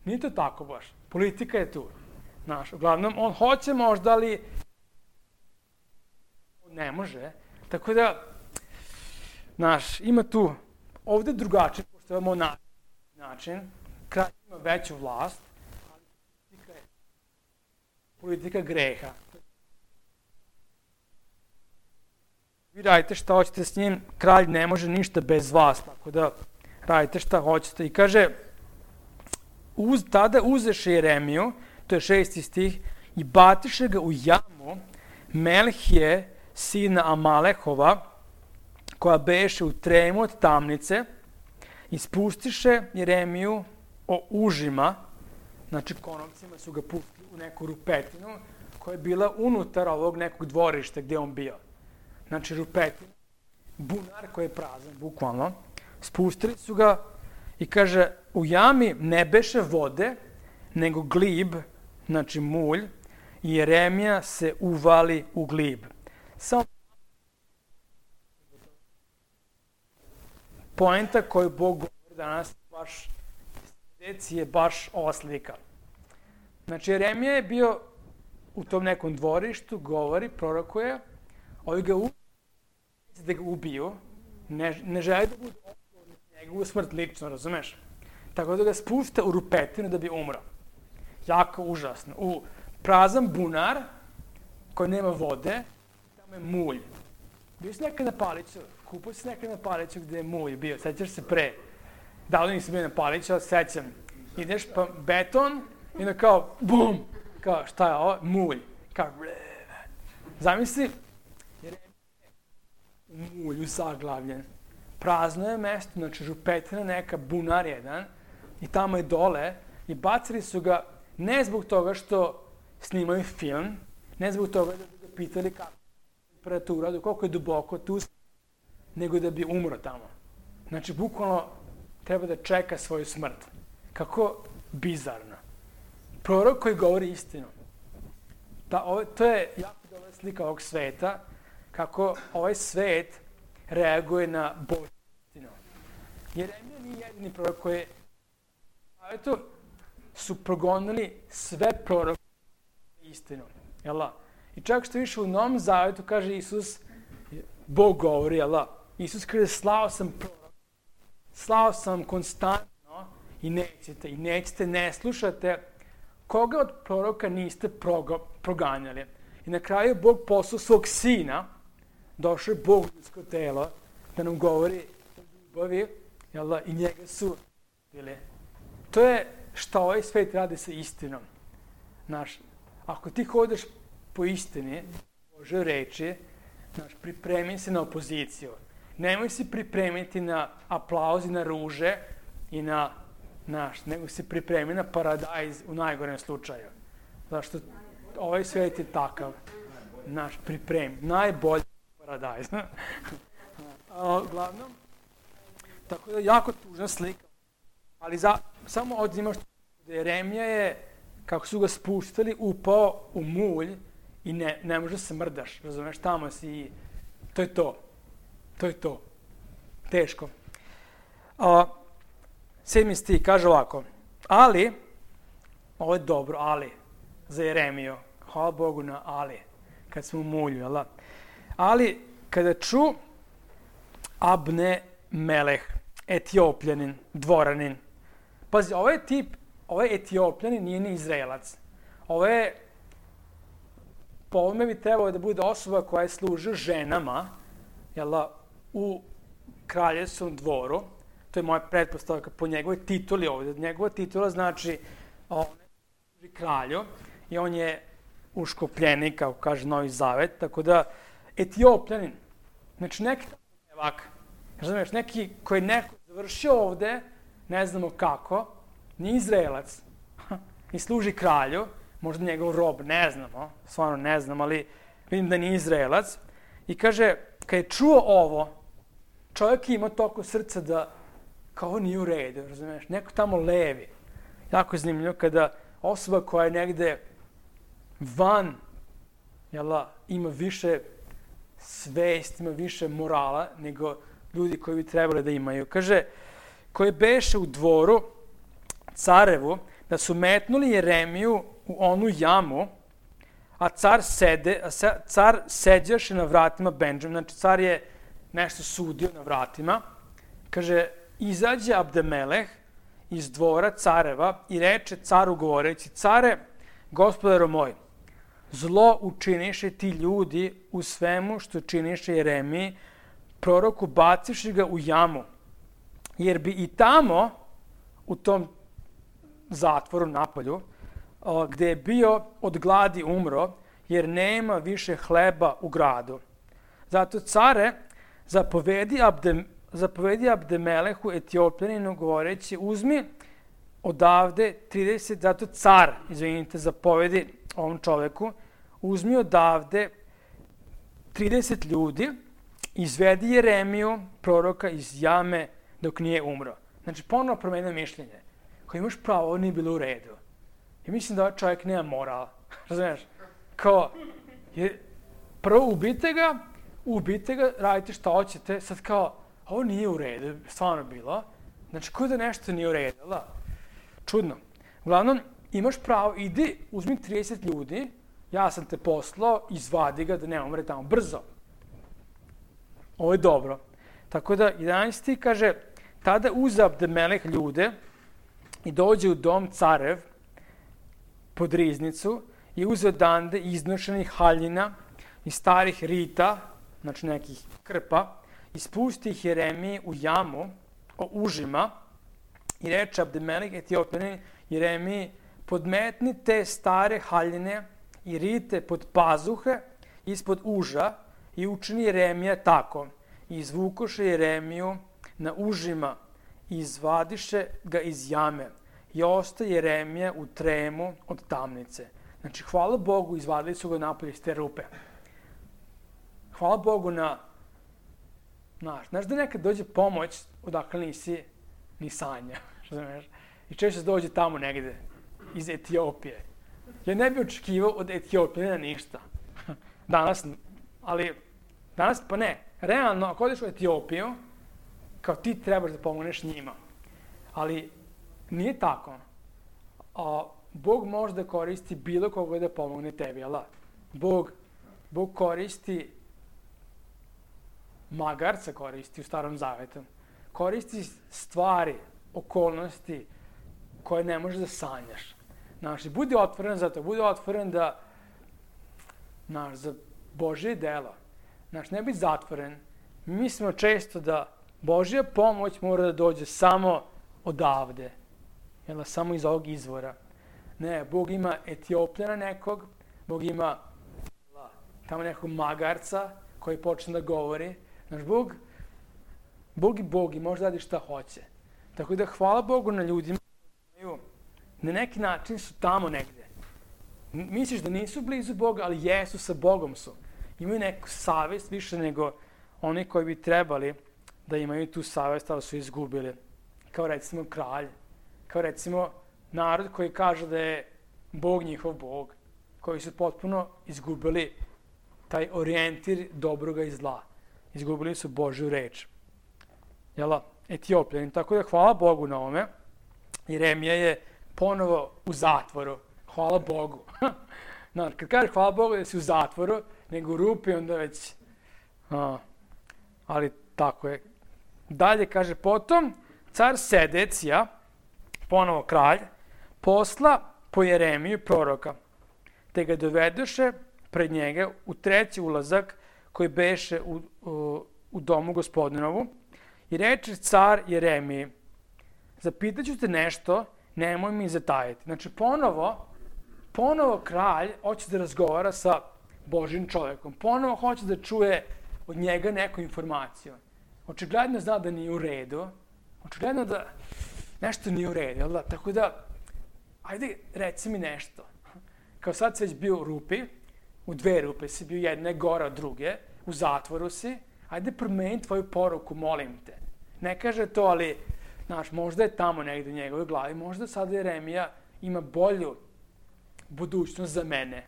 Speaker 1: Nije to tako baš. Politika je tu. Znaš, uglavnom, on hoće možda, ali ne može. Tako da, znaš, ima tu, ovde je drugačije, pošto imamo način, kralj ima veću vlast, ali politika je politika greha. Vi radite šta hoćete s njim, kralj ne može ništa bez vas, tako da radite šta hoćete. I kaže, uz, tada uzeše Jeremiju, to je šesti stih, i batiše ga u jamu Melhije, sina Amalehova, koja beše u tremu od tamnice, i spustiše Jeremiju o užima, znači konopcima su ga pustili u neku rupetinu, koja je bila unutar ovog nekog dvorišta gdje on bio. Znači rupetina, bunar koji je prazan, bukvalno. Spustili su ga i kaže, u jami ne beše vode, nego glib, znači mulj, i Jeremija se uvali u glib. Samo poenta koju Bog govori danas baš je baš ova slika. Znači Jeremija je bio u tom nekom dvorištu, govori, prorokuje, ovi ga ubiju, da ga ubiju, ne, ne želi da budu odgovorni za njegovu smrt lično, razumeš? Tako da ga spušta u rupetinu da bi umro. Jako užasno. U prazan bunar koji nema vode, tamo je mulj. Bio si nekad na Paliću, kupao si nekad na Paliću gde je mulj bio, sećaš se pre. Davno nisam bio na Paliću, ali sećam. Ideš pa beton i onda kao bum, kao šta je ovo? Mulj. Kao zamisli, jer je u mulju zaglavljen. Prazno je mesto, znači župetina neka, bunar jedan, i tamo je dole, i bacili su ga ne zbog toga što snimaju film, ne zbog toga da bi ga pitali kako je temperatura, koliko je duboko tu, nego da bi umro tamo. Znači, bukvalno treba da čeka svoju smrt. Kako bizarno. Prorok koji govori istinu. Ta, ovo, to je jako dobra slika ovog sveta, kako ovaj svet reaguje na Božju istinu. Jeremija nije jedini prorok koji je, a eto, su progonili sve proroke istinu. Jel' I čak što više u Novom Zavetu kaže Isus, Bog govori, jel' Isus kaže, slao sam prorok, slao sam konstantno i nećete, i nećete, ne slušate, koga od proroka niste progo, proganjali. I na kraju Bog poslao svog sina, došao je Bog u ljudsko telo, da nam govori o ljubavi, jel' i njega su bili. To je šta ovaj svet radi sa istinom. Znaš, ako ti hodeš po istini, Bože reči, znaš, pripremi se na opoziciju. Nemoj se pripremiti na aplauz i na ruže i na, znaš, nego se pripremi na paradajz u najgorem slučaju. Zašto ovaj svet je takav. Znaš, pripremi. Najbolji paradajz. Uglavnom, tako da jako tužna slika. Ali za, samo odzimaš da Jeremija je, kako su ga spuštali, upao u mulj i ne, ne može se mrdaš, razumeš, tamo si i to je to. To je to. Teško. A, sedmi stih kaže ovako, ali, ovo je dobro, ali, za Jeremiju, hvala Bogu na ali, kad smo u mulju, jel da? Ali, kada ču Abne Meleh, Etiopljanin, dvoranin, pazi, ovaj tip, ovaj Etiopljanin nije ni Izraelac. Ovo je, po ovome bi trebalo da bude osoba koja je služila ženama, jel da, u kraljevskom dvoru. To je moja pretpostavka po njegovoj tituli ovdje. Njegova titula znači on je kralju i on je uškopljenik, kako kaže Novi Zavet, tako da Etiopljanin, znači neki evak, razumiješ, neki koji je neko završio ovde, ne znamo kako, ni Izraelac, i služi kralju, možda njegov rob, ne znamo, stvarno ne znam, ali vidim da nije Izraelac, i kaže, kad je čuo ovo, čovjek ima toliko srca da kao ovo nije u redu, razumiješ, neko tamo levi. Jako je zanimljivo kada osoba koja je negde van, jela, ima više svest, ima više morala nego ljudi koji bi trebali da imaju. Kaže, koji beše u dvoru carevu, da su metnuli Jeremiju u onu jamu, a car, sede, a car seđaše na vratima Benđamina. Znači, car je nešto sudio na vratima. Kaže, izađe Abdemeleh iz dvora careva i reče caru govoreći, care, gospodaro moj, zlo učiniše ti ljudi u svemu što činiše Jeremiji, proroku bacivši ga u jamu, jer bi i tamo, u tom zatvoru napolju, gde je bio od gladi umro, jer nema više hleba u gradu. Zato care zapovedi, Abde, zapovedi Abdemelehu Etiopljaninu govoreći, uzmi odavde trideset, zato car, izvinite, zapovedi ovom čoveku, uzmi odavde trideset ljudi, izvedi Jeremiju, proroka, iz jame dok nije umro. Znači, ponovno promenio mišljenje. Kao imaš pravo, ovo nije bilo u redu. I mislim da ovaj čovjek nema morala. Razumiješ? Kao, je, prvo ubite ga, ubite ga, radite šta hoćete, sad kao, ovo nije u redu, stvarno bilo. Znači, ko da nešto nije u redu, da? Čudno. Uglavnom, imaš pravo, idi, uzmi trideset ljudi, ja sam te poslao, izvadi ga da ne umre tamo, brzo. Ovo je dobro. Tako da, jedanaesti kaže, tada uze Abdemeleh ljude i dođe u dom carev pod riznicu i uze odande iznošenih haljina i starih rita, znači nekih krpa, i spusti ih Jeremiji u jamu o užima i reče Abdemeleh Etiopljanin Jeremiji, podmetni te stare haljine i rite pod pazuhe ispod uža i učini Jeremija tako. I izvukoše Jeremiju na užima i izvadiše ga iz jame. I ostaje Jeremija u tremu od tamnice. Znači, hvala Bogu, izvadili su ga napolje iz te rupe. Hvala Bogu na... Znaš, znaš da nekad dođe pomoć odakle nisi ni sanja. I često se dođe tamo negde, iz Etiopije. Ja ne bih očekivao od Etiopljana ništa. Danas, ali danas pa ne. Realno, ako odeš u Etiopiju, kao ti trebaš da pomogneš njima. Ali nije tako. A, Bog može da koristi bilo koga da pomogne tebi, jel da? Bog, Bog koristi, magarca koristi u Starom Zavetu. Koristi stvari, okolnosti koje ne možeš da sanjaš. Znaš, budi otvoren za to, budi otvoren da, znaš, za Božje delo. Znaš, ne biti zatvoren. Mi mislimo često da Božja pomoć mora da dođe samo odavde. Jel, samo iz ovog izvora. Ne, Bog ima Etiopljana nekog, Bog ima tamo nekog magarca koji počne da govori. Znaš, Bog, Bog i Bog i može da radi šta hoće. Tako da hvala Bogu na ljudima koji na neki način su tamo negde. Misliš da nisu blizu Boga, ali jesu, sa Bogom su. Imaju neku savest više nego oni koji bi trebali da imaju tu savest, ali su izgubili. Kao recimo kralj, kao recimo narod koji kaže da je Bog njihov Bog, koji su potpuno izgubili taj orijentir dobroga i zla. Izgubili su Božju reč. Jela, Etiopljani. Tako da hvala Bogu na ome. Jeremija je ponovo u zatvoru. Hvala Bogu. No, kad kažeš hvala Bogu da si u zatvoru, nego u rupi, onda već... A, ali tako je. Dalje kaže, potom car Sedecija, ponovo kralj, posla po Jeremiju proroka, te ga dovedoše pred njega u treći ulazak koji beše u, u, u domu gospodinovu i reče car Jeremiji, zapitaću te nešto, nemoj mi zatajiti. Znači, ponovo, ponovo kralj hoće da razgovara sa Božjim čovjekom. Ponovo hoće da čuje od njega neku informaciju. Očigledno zna da nije u redu. Očigledno da nešto nije u redu, jel da? Tako da, ajde, reci mi nešto. Kao sad si već bio u rupi, u dve rupe si bio, jedna je gora od druge, u zatvoru si, ajde promeni tvoju poruku, molim te. Ne kaže to, ali, znaš, možda je tamo negde u njegovoj glavi, možda sad Jeremija ima bolju budućnost za mene,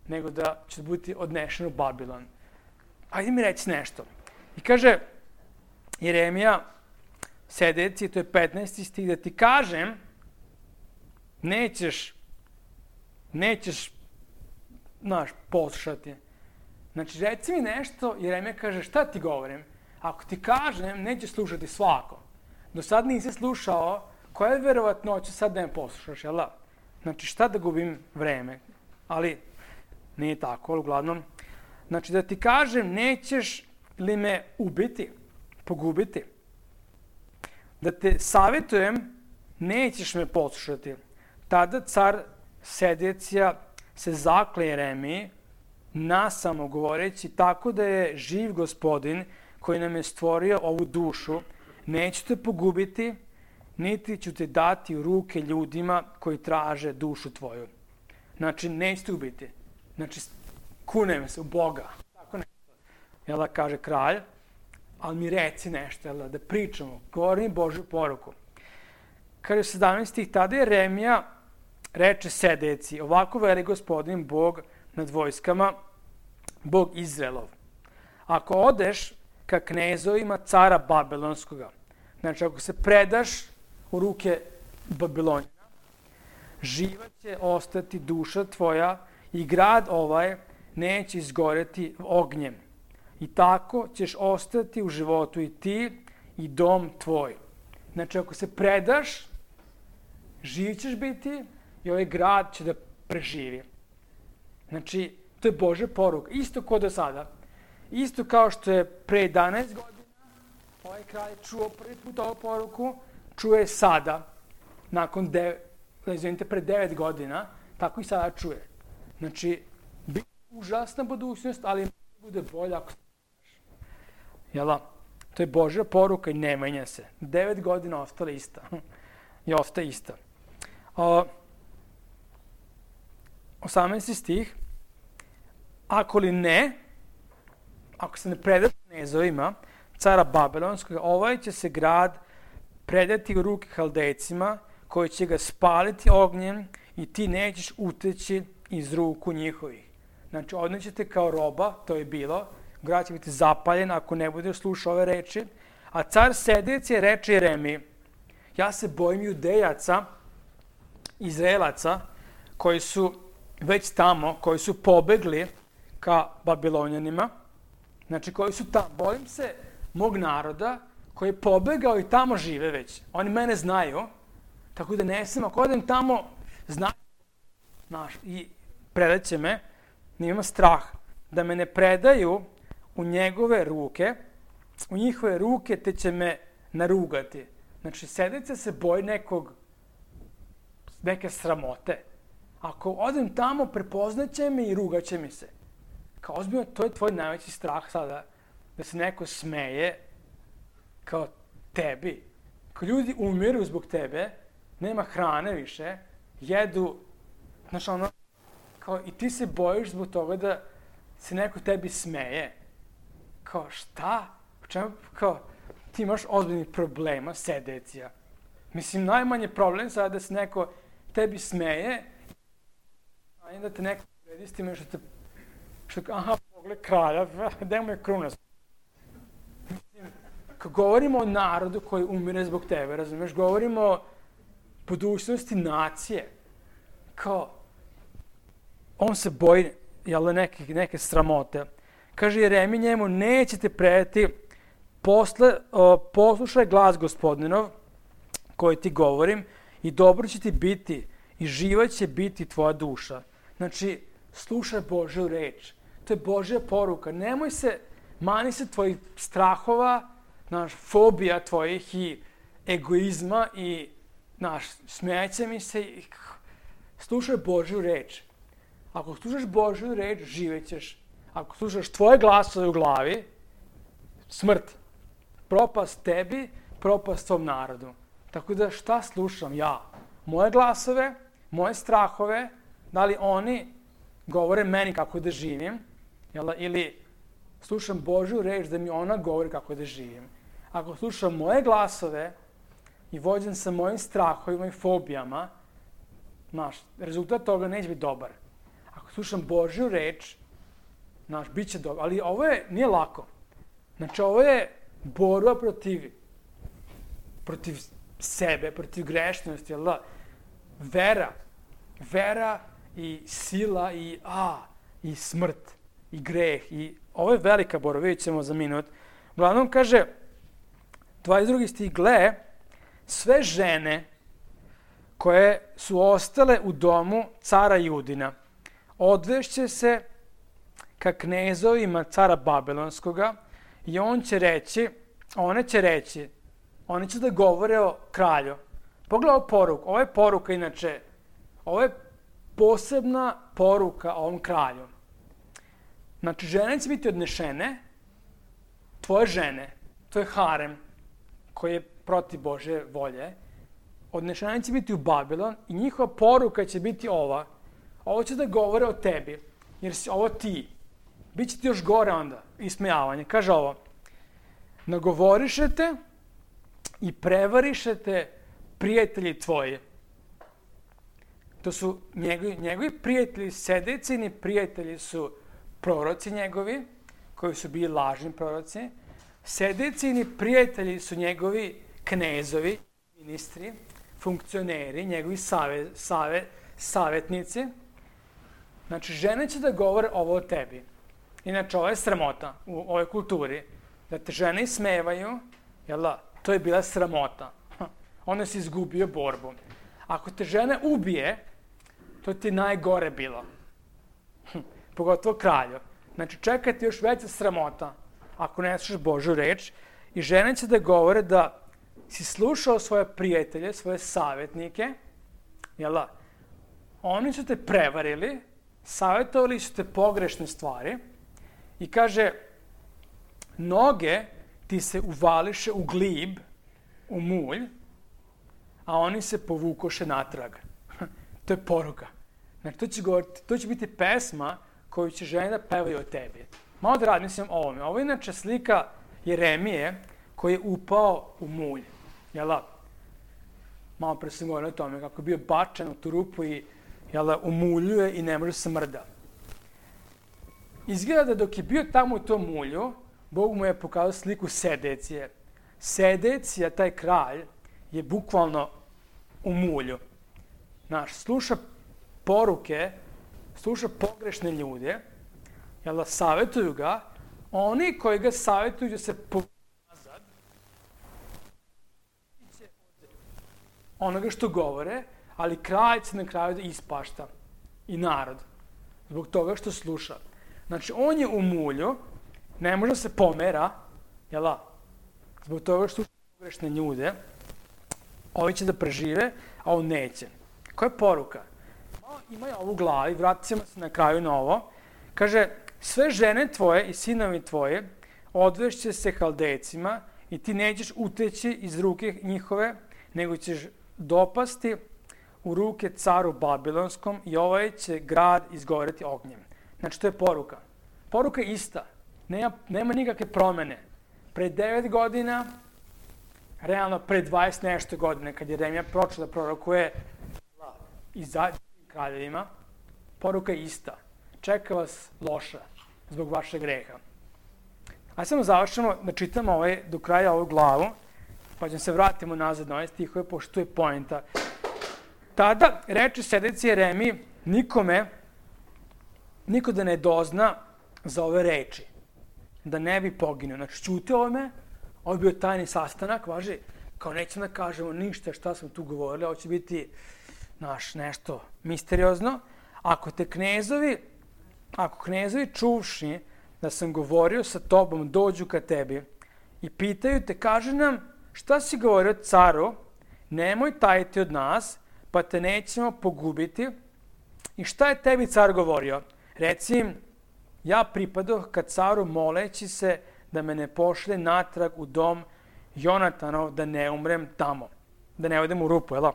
Speaker 1: nego da će biti odnešen u Babilon. Ajde mi reći nešto. I kaže Jeremija, Sedeci, to je petnaesti stih, da ti kažem, nećeš, nećeš, znaš, poslušati. Znači, reci mi nešto, Jeremija kaže, šta ti govorim? Ako ti kažem, nećeš slušati svako. Do sad nisi slušao, koja je verovatnoća sad da me poslušaš, jel da? Znači, šta da gubim vreme? Ali, nije tako, ali uglavnom. Znači, da ti kažem, nećeš li me ubiti, pogubiti? Da te savjetujem, nećeš me poslušati. Tada car Sedecija se zakle Jeremiji, nasamo govoreći, tako da je živ Gospodin koji nam je stvorio ovu dušu, neću te pogubiti, niti ću te dati u ruke ljudima koji traže dušu tvoju. Znači, neću te ubiti. Znači, kunem se u Boga. Tako nešto. Jel da kaže kralj, ali mi reci nešto, jel da, da pričamo, govori mi Božju poruku. Kaže u sedamnaestom stih, tada Jeremija reče Sedeciji, ovako veli Gospodin Bog nad vojskama, Bog Izraelov. Ako odeš ka knezovima cara Babilonskoga, znači ako se predaš u ruke Babilonjana, živa će ostati duša tvoja i grad ovaj neće izgoreti ognjem. I tako ćeš ostati u životu i ti i dom tvoj. Znači ako se predaš, živ ćeš biti i ovaj grad će da preživi. Znači, to je Božja poruka. Isto kao do sada. Isto kao što je pre jedanaest godina ovaj kralj čuo prvi put ovu poruku, čuje sada, nakon devet, izvinite, pre devet godina, tako i sada čuje. Znači, biti užasna budućnost, ali bude bolja ako se predaš. Jel' to je Božja poruka i ne menja se. Devet godina ostala ista. I ostaje ista. Uh, osamnaesti stih. Ako li ne, ako se ne predaš knezovima, cara Babilonskog, ovaj će se grad predati u ruke Haldejcima, koji će ga spaliti ognjem i ti nećeš uteći iz ruku njihovih. Znači, odnećete kao roba, to je bilo, grad će biti zapaljen ako ne budeš slušao ove reči, a car Sedecija reče Jeremiji, ja se bojim Judejaca, Izraelaca, koji su već tamo, koji su pobegli ka Babilonjanima, znači koji su tamo. Bojim se mog naroda koji je pobegao i tamo žive već. Oni mene znaju, tako da ne sam, ako odem tamo, znaju naš, i predaće me, nema strah da me ne predaju u njegove ruke, u njihove ruke, te će me narugati. Znači, Sedecija se boji nekog, neke sramote. Ako odem tamo, prepoznaće me i rugaće mi se. Kao ozbiljno, to je tvoj najveći strah sada, da se neko smeje kao tebi. Kao ljudi umiru zbog tebe, nema hrane više, jedu, znaš ono, kao i ti se bojiš zbog toga da se neko tebi smeje. Kao šta? U čemu, kao, ti imaš ozbiljnih problema, Sedecija. Mislim, najmanje problem sada da se neko tebi smeje, a da te neko uredi s time što te, što, aha, pogled kralja, gde mu je kruna? Mislim, kad govorimo o narodu koji umire zbog tebe, razumiješ, govorimo o budućnosti nacije, kao, on se boji, jel, neke, neke sramote. Kaže Jeremij njemu, nećete predati, posle, o, poslušaj glas Gospodinov, koji ti govorim, i dobro će ti biti, i živa će biti tvoja duša. Znači, slušaj Božju reč. To je Božja poruka. Nemoj se, mani se tvojih strahova, naš, fobija tvojih i egoizma i, naš, smeće mi se. I, slušaj Božju reč. Ako slušaš Božju reč, živećeš. Ako slušaš tvoje glasove u glavi, smrt. Propast tebi, propast tvom narodu. Tako da šta slušam ja? Moje glasove, moje strahove, da li oni govore meni kako da živim, jel, ili slušam Božju reč da mi ona govori kako da živim. Ako slušam moje glasove i vođen sa mojim strahovima i fobijama, znaš, rezultat toga neće biti dobar. Ako slušam Božju reč, znaš, bit će dobro. Ali ovo je, nije lako. Znači, ovo je borba protiv, protiv sebe, protiv grešnosti, jel da? vera. Vera i sila i a, i smrt, i greh. I ovo je velika borba, vidjet ćemo za minut. Uglavnom kaže, dvadeset drugi stih, gle, sve žene koje su ostale u domu cara Judina, odvešće se ka knezovima cara Babilonskoga i on će reći, one će reći, one će da govore o kralju. Pogledaj ovu poruku, ovo je poruka inače, ovo je posebna poruka ovom kralju. Znači, žene će biti odnešene, tvoje žene, to je harem koji je protiv Božje volje, odnešene će biti u Babilon i njihova poruka će biti ova. Ovo će da govore o tebi, jer si ovo ti. Biće ti još gore onda, ismejavanje. Kaže ovo, nagovorišete i prevarišete prijatelji tvoji. To su njegovi, njegovi prijatelji, sedecini prijatelji su proroci njegovi, koji su bili lažni proroci. Sedecini prijatelji su njegovi knezovi, ministri, funkcioneri, njegovi save, save, savjetnici. Znači, žene će da govore ovo o tebi. Inače, ovo je sramota u ovoj kulturi. Da te žene ismevaju, jel da, to je bila sramota. Onda si izgubio borbu. Ako te žena ubije, to ti najgore bilo. Pogotovo kralju. Znači, čeka ti još veća sramota ako ne slušaš Božju reč. I žene će da govore da si slušao svoje prijatelje, svoje savjetnike, jel da? Oni su te prevarili, savjetovali su te pogrešne stvari i kaže, noge ti se uvališe u glib, u mulj, a oni se povukoše natrag. To je poruka. Znači, to će, govoriti, to će biti pesma koju će žene da pevaju o tebi. Malo da razmislim o ovome. Ovo je inače slika Jeremije koji je upao u mulj. Jel da? Malo pre sam govorio o tome kako je bio bačen u tu rupu i jel da, umuljuje i ne može se mrda. Izgleda da dok je bio tamo u tom mulju, Bog mu je pokazao sliku Sedecije. Sedecija, taj kralj, je bukvalno u mulju. Znaš, sluša poruke, sluša pogrešne ljude, jel da, savjetuju ga, oni koji ga savjetuju da se povuku nazad, onoga što govore, ali kralj će na kraju da ispašta i narod, zbog toga što sluša. Znači, on je u mulju, ne može se pomera, jel da, zbog toga što sluša pogrešne ljude, ovi će da prežive, a on neće. Koja je poruka? Ima je ovo u glavi, vratit ćemo se na kraju na ovo. Kaže, sve žene tvoje i sinovi tvoje odvešće se Haldejcima i ti nećeš uteći iz ruke njihove, nego ćeš dopasti u ruke caru Babilonskom i ovaj će grad izgoreti ognjem. Znači, to je poruka. Poruka je ista. Nema, nema nikakve promene. Pre devet godina, realno pre dvadeset nešto godine, kad je Jeremija počeo da prorokuje i za kraljevima, poruka je ista. Čeka vas loša zbog vašeg greha. Ajde samo završamo da čitamo ovaj, do kraja ovu glavu, pa ćemo se vratimo nazad na ove stihove, pošto tu je poenta. Tada reče Sedeci Jeremiji, nikome, niko da ne dozna za ove reči, da ne bi poginuo. Znači, čute ovome, ovo je bio tajni sastanak, važi, kao nećemo da kažemo ništa šta smo tu govorili, ovo će biti naš nešto misteriozno. Ako te knezovi, ako knezovi čuvši da sam govorio sa tobom, dođu ka tebi i pitaju te, kaže nam, šta si govorio caru, nemoj tajiti od nas, pa te nećemo pogubiti. I šta je tebi car govorio? Reci im, ja pripadoh ka caru moleći se da me ne pošle natrag u dom Jonatanov, da ne umrem tamo, da ne odem u rupu, jel?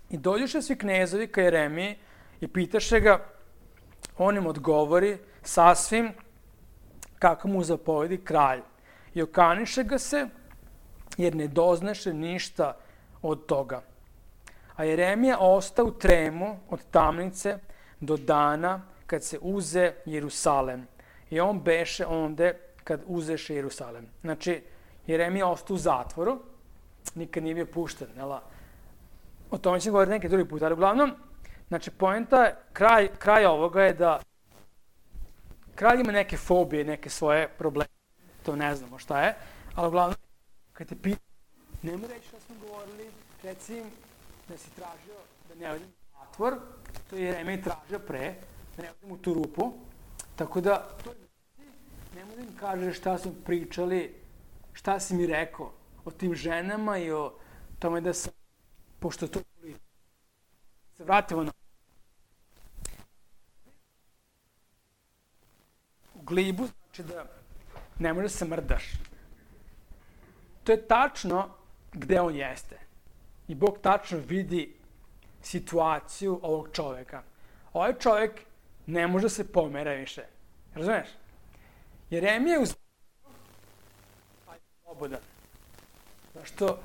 Speaker 1: I dođuše svi knezovi ka Jeremiji i pitaše ga, on im odgovori sasvim kako mu zapovedi kralj. I okaniše ga se, jer ne doznaše ništa od toga. A Jeremija ostao u tremu od tamnice do dana kad se uze Jerusalem. I on beše onde kad uzeše Jerusalem. Znači, Jeremija ostao u zatvoru, nikad nije bio pušten, jel? o tome ćemo govoriti neki drugi put, ali uglavnom, znači, poenta, kraj, kraj ovoga je da kralj ima neke fobije, neke svoje probleme, to ne znamo šta je, ali uglavnom, kad te pita, nemoj reći šta smo govorili, reci im da si tražio da ne odem u zatvor, to je Jeremija tražio pre, da ne odem u tu rupu, tako da, to je nemoj da im kažeš šta smo pričali, šta si mi rekao o tim ženama i o tome da sam, pošto to se vratimo na u glibu, znači da ne možeš da se mrdaš. To je tačno gde on jeste. I Bog tačno vidi situaciju ovog čoveka. Ovaj čovek ne može da se pomera više. Razumeš? Jeremija je u slobodan. Zašto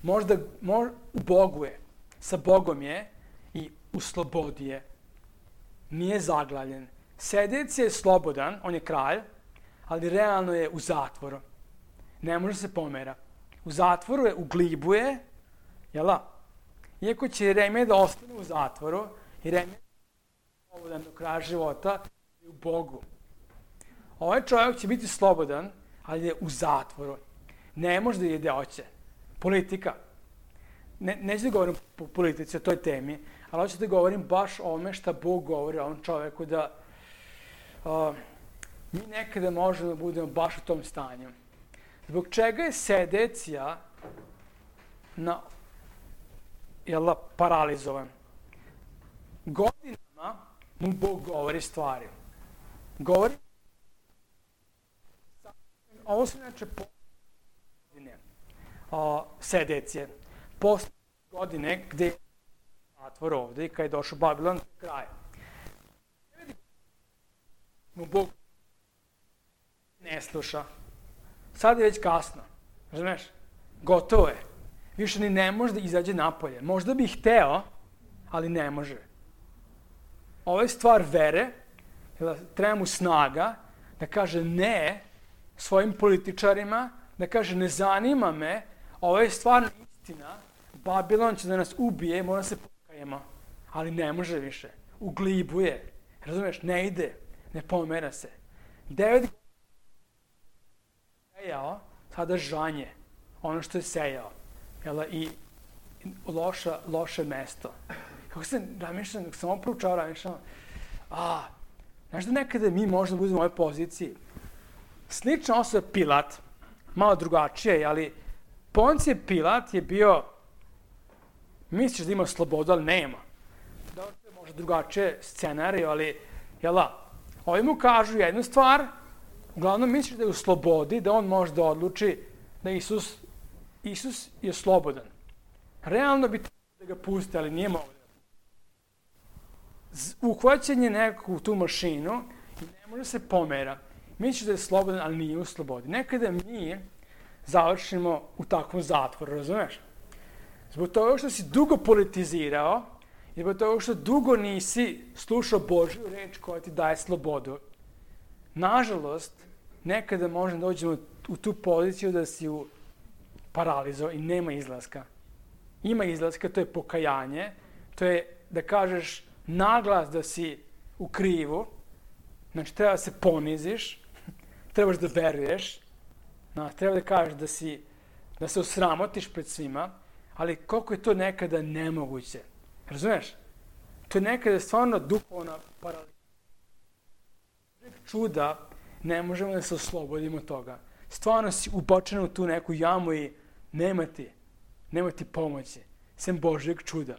Speaker 1: možda mož, u Bogu je, sa Bogom je i u slobodi je. Nije zaglavljen. Sedec je slobodan, on je kralj, ali realno je u zatvoru. Ne može se pomera. U zatvoru je, u glibu je, jela? Iako će Jeremija da ostane u zatvoru, Jeremija je slobodan do kraja života i u Bogu. Ovaj čovjek će biti slobodan, ali je u zatvoru. Ne može da ide hoće. Politika. Ne, neću da govorim po politici, o toj temi, ali hoću da govorim baš o ome šta Bog govori o ovom čovjeku, da uh, mi nekada možemo da budemo baš u tom stanju. Zbog čega je Sedecija na, jela, paralizovan? Godinama mu Bog govori stvari. Govori ovo su inače godine uh, Sedecije. Posle godine gde je zatvor ovde i kada je došao Babilon kraj. Mu Bog ne sluša. Sad je već kasno. Razumeš? Gotovo je. Više ni ne može da izađe napolje. Možda bi hteo, ali ne može. Ovo je stvar vere, treba mu snaga da kaže ne svojim političarima, da kaže ne zanima me, ovo je stvarno istina, Babilon će da nas ubije, mora se pokajemo, ali ne može više. U glibu je. Razumeš? Ne ide, ne pomera se. Devet sejao, sada žanje, ono što je sejao. Jela, i loša, loše mesto. Kako se ramišljam, dok sam ovo proučao, ramišljam, a, znaš da nekada mi možda budemo u ovoj poziciji. Slična osoba Pilat, malo drugačije, ali Poncije Pilat je bio, misliš da ima slobodu, ali nema. Dobro, to je možda drugačije scenarij, ali, jela, ovi mu kažu jednu stvar, uglavnom misliš da je u slobodi, da on može da odluči da Isus, Isus je slobodan. Realno bi trebalo da ga puste, ali nije mogo da ga puste. Uhvaćen je nekako u tu mašinu i ne može se pomera. Misliš da je slobodan, ali nije u slobodi. Nekada mi završimo u takvom zatvoru, razumeš? Zbog toga što si dugo politizirao i zbog toga što dugo nisi slušao Božju reč koja ti daje slobodu. Nažalost, nekada možemo dođemo u tu poziciju da si u paralizo i nema izlaska. Ima izlaska, to je pokajanje, to je da kažeš naglas da si u krivu, znači treba da se poniziš, trebaš da veruješ, znači, treba da kažeš da, si, da se osramotiš pred svima, ali koliko je to nekada nemoguće. Razumeš? To je nekada stvarno duhovna paraliza. Čuda, ne možemo da se oslobodimo toga. Stvarno si ubačen u tu neku jamu i nema ti, nema ti pomoći, sem Božjeg čuda.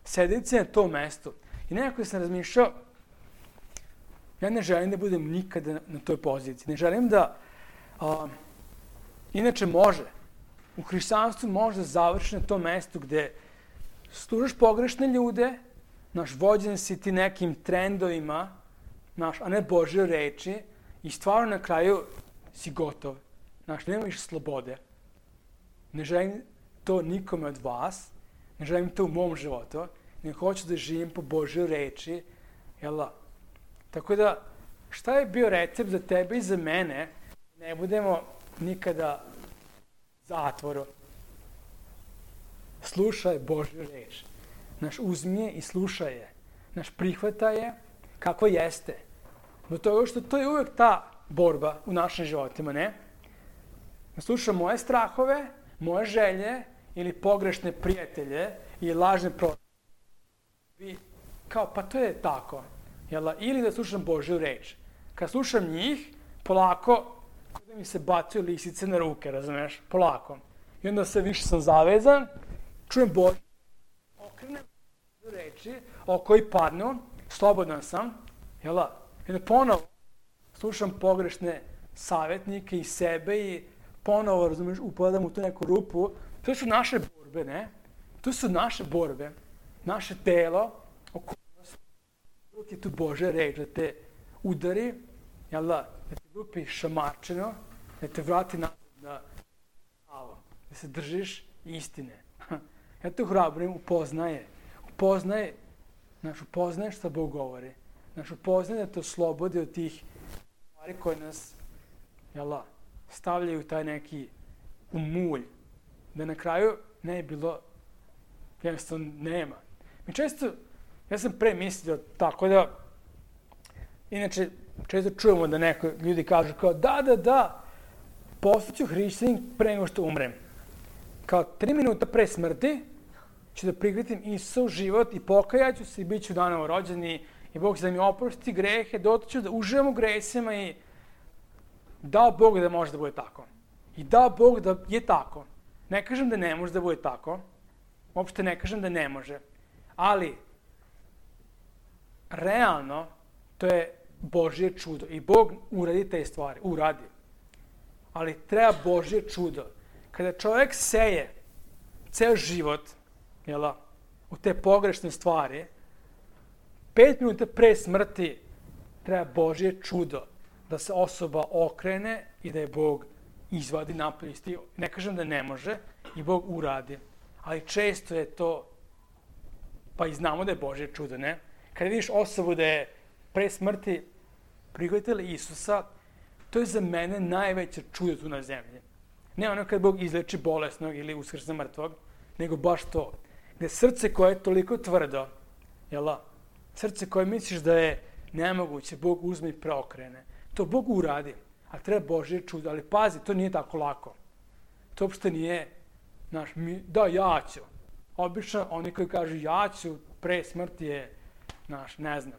Speaker 1: Sedeti na to mesto. I nekako sam razmišljao, ja ne želim da budem nikada na toj poziciji. Ne želim da, a, inače može, u hrišćanstvu može da završi na tom mestu gde služaš pogrešne ljude, naš vođen si ti nekim trendovima, naš, a ne Božje reči, i stvarno na kraju si gotov. Znaš, nema više slobode. Ne želim to nikome od vas, ne želim to u mom životu, ne hoću da živim po Božjoj reči, jela. Tako da, šta je bio recept za tebe i za mene, ne budemo nikada zatvoru. Slušaj Božju reč. Naš uzmi je i slušaj je. Naš prihvata je kako jeste. Zbog toga što to je uvek ta borba u našim životima, ne? Da slušam moje strahove, moje želje ili pogrešne prijatelje ili lažne proroke. I kao, pa to je tako. Jel? Ili da slušam Božju reč. Kad slušam njih, polako, da mi se bacaju lisice na ruke, razumeš? Polako. I onda sve više sam zavezan, čujem Božju, okrenem reči, oko i padnu, slobodan sam, jel? I onda ponovo slušam pogrešne savjetnike i sebe i ponovo, razumeš, upadam u tu neku rupu. To su naše borbe, ne? To su naše borbe. Naše telo, okolnost, uvijek je tu Božja reč da te udari, jel da, da te lupi šamarčeno, da te vrati nazad na pravo, da se držiš istine. Ja te hrabrim, upoznaje. Upoznaje, znaš, upoznaje šta Bog govori. Znaš, upoznaje da te oslobodi od tih stvari koje nas, jel da, stavljaju taj neki umulj. Da na kraju ne je bilo, jednostavno nema. Mi često, ja sam pre mislio tako da, inače, često čujemo da neko ljudi kažu kao da, da, da, postaću hrišćanin pre nego što umrem. Kao tri minuta pre smrti ću da prihvatim Isusa u život i pokajaću se i bit ću danovo rođeni i Bog će da mi oprosti grehe, dotle ću da uživam u gresima i dao Bog da može da bude tako. I dao Bog da je tako. Ne kažem da ne može da bude tako, uopšte ne kažem da ne može, ali realno to je Božje čudo i Bog uradi te stvari, uradi. Ali treba Božje čudo. Kada čovjek seje ceo život, jel, u te pogrešne stvari, pet minuta pre smrti treba Božje čudo da se osoba okrene i da je Bog izvadi napolje. Ne kažem da ne može i Bog uradi, ali često je to, pa i znamo da je Božje čudo, ne? Kada vidiš osobu da je pre smrti prihvatila Isusa, to je za mene najveće čudo tu na zemlji. Ne ono kad Bog izleči bolesnog ili uskrsne mrtvog, nego baš to. Gde srce koje je toliko tvrdo, jel, srce koje misliš da je nemoguće, Bog uzme i preokrene. To Bog uradi, a treba Božje čudo. Ali pazi, to nije tako lako. To uopšte nije, znaš, mi, da, ja ću. Obično, oni koji kažu ja ću, pre smrti je, znaš, ne znam.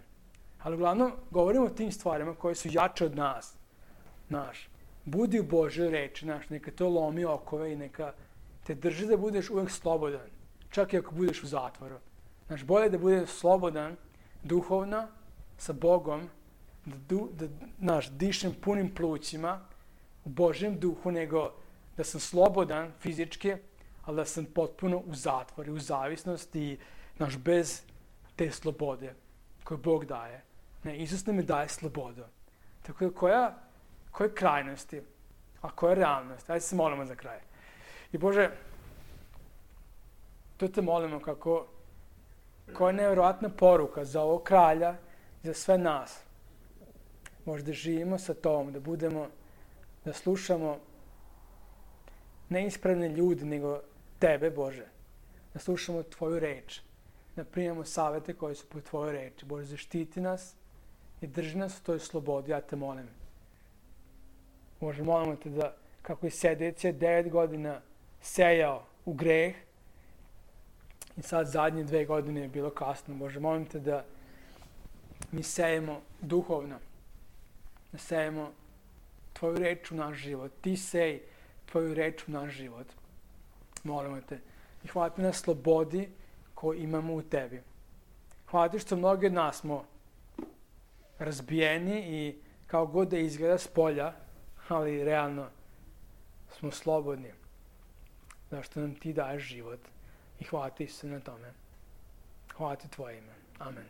Speaker 1: Ali uglavnom, govorimo o tim stvarima koje su jače od nas. Znaš, budi u Božjoj reči, znaš, neka to lomi okove i neka te drži da budeš uvek slobodan. Čak i ako budeš u zatvoru. Znaš, bolje da budeš slobodan, duhovno, sa Bogom, da, du, da znaš, dišem punim plućima u Božjem duhu, nego da sam slobodan fizički, ali da sam potpuno u zatvoru, u zavisnosti i, znaš, bez te slobode koju Bog daje. Ne, Isus nam je daje slobodu. Tako da koja, koje krajnosti, a koja realnost? Ajde se molimo za kraj. I Bože, to te molimo kako, koja je nevjerojatna poruka za ovog kralja i za sve nas. Možda živimo sa tom, da budemo, da slušamo ne ispravne ljudi, nego Tebe, Bože. Da slušamo Tvoju reč, da primamo savete koje su po Tvojoj reči. Bože, zaštiti nas i drži nas u toj slobodi, ja te molim. Bože, molimo te da, kako je Sedecija devet godina sejao u greh i sad zadnje dve godine je bilo kasno. Bože, molim te da mi sejemo duhovno, da sejemo Tvoju reč u naš život. Ti sej Tvoju reč u naš život. Molimo te. I hvala ti na slobodi koju imamo u Tebi. Hvala ti što mnogi od nas smo razbijeni i kao god da izgleda s polja, ali realno smo slobodni. Zašto nam ti daješ život. I hvala ti se na tome. Hvala ti Tvoje ime. Amen.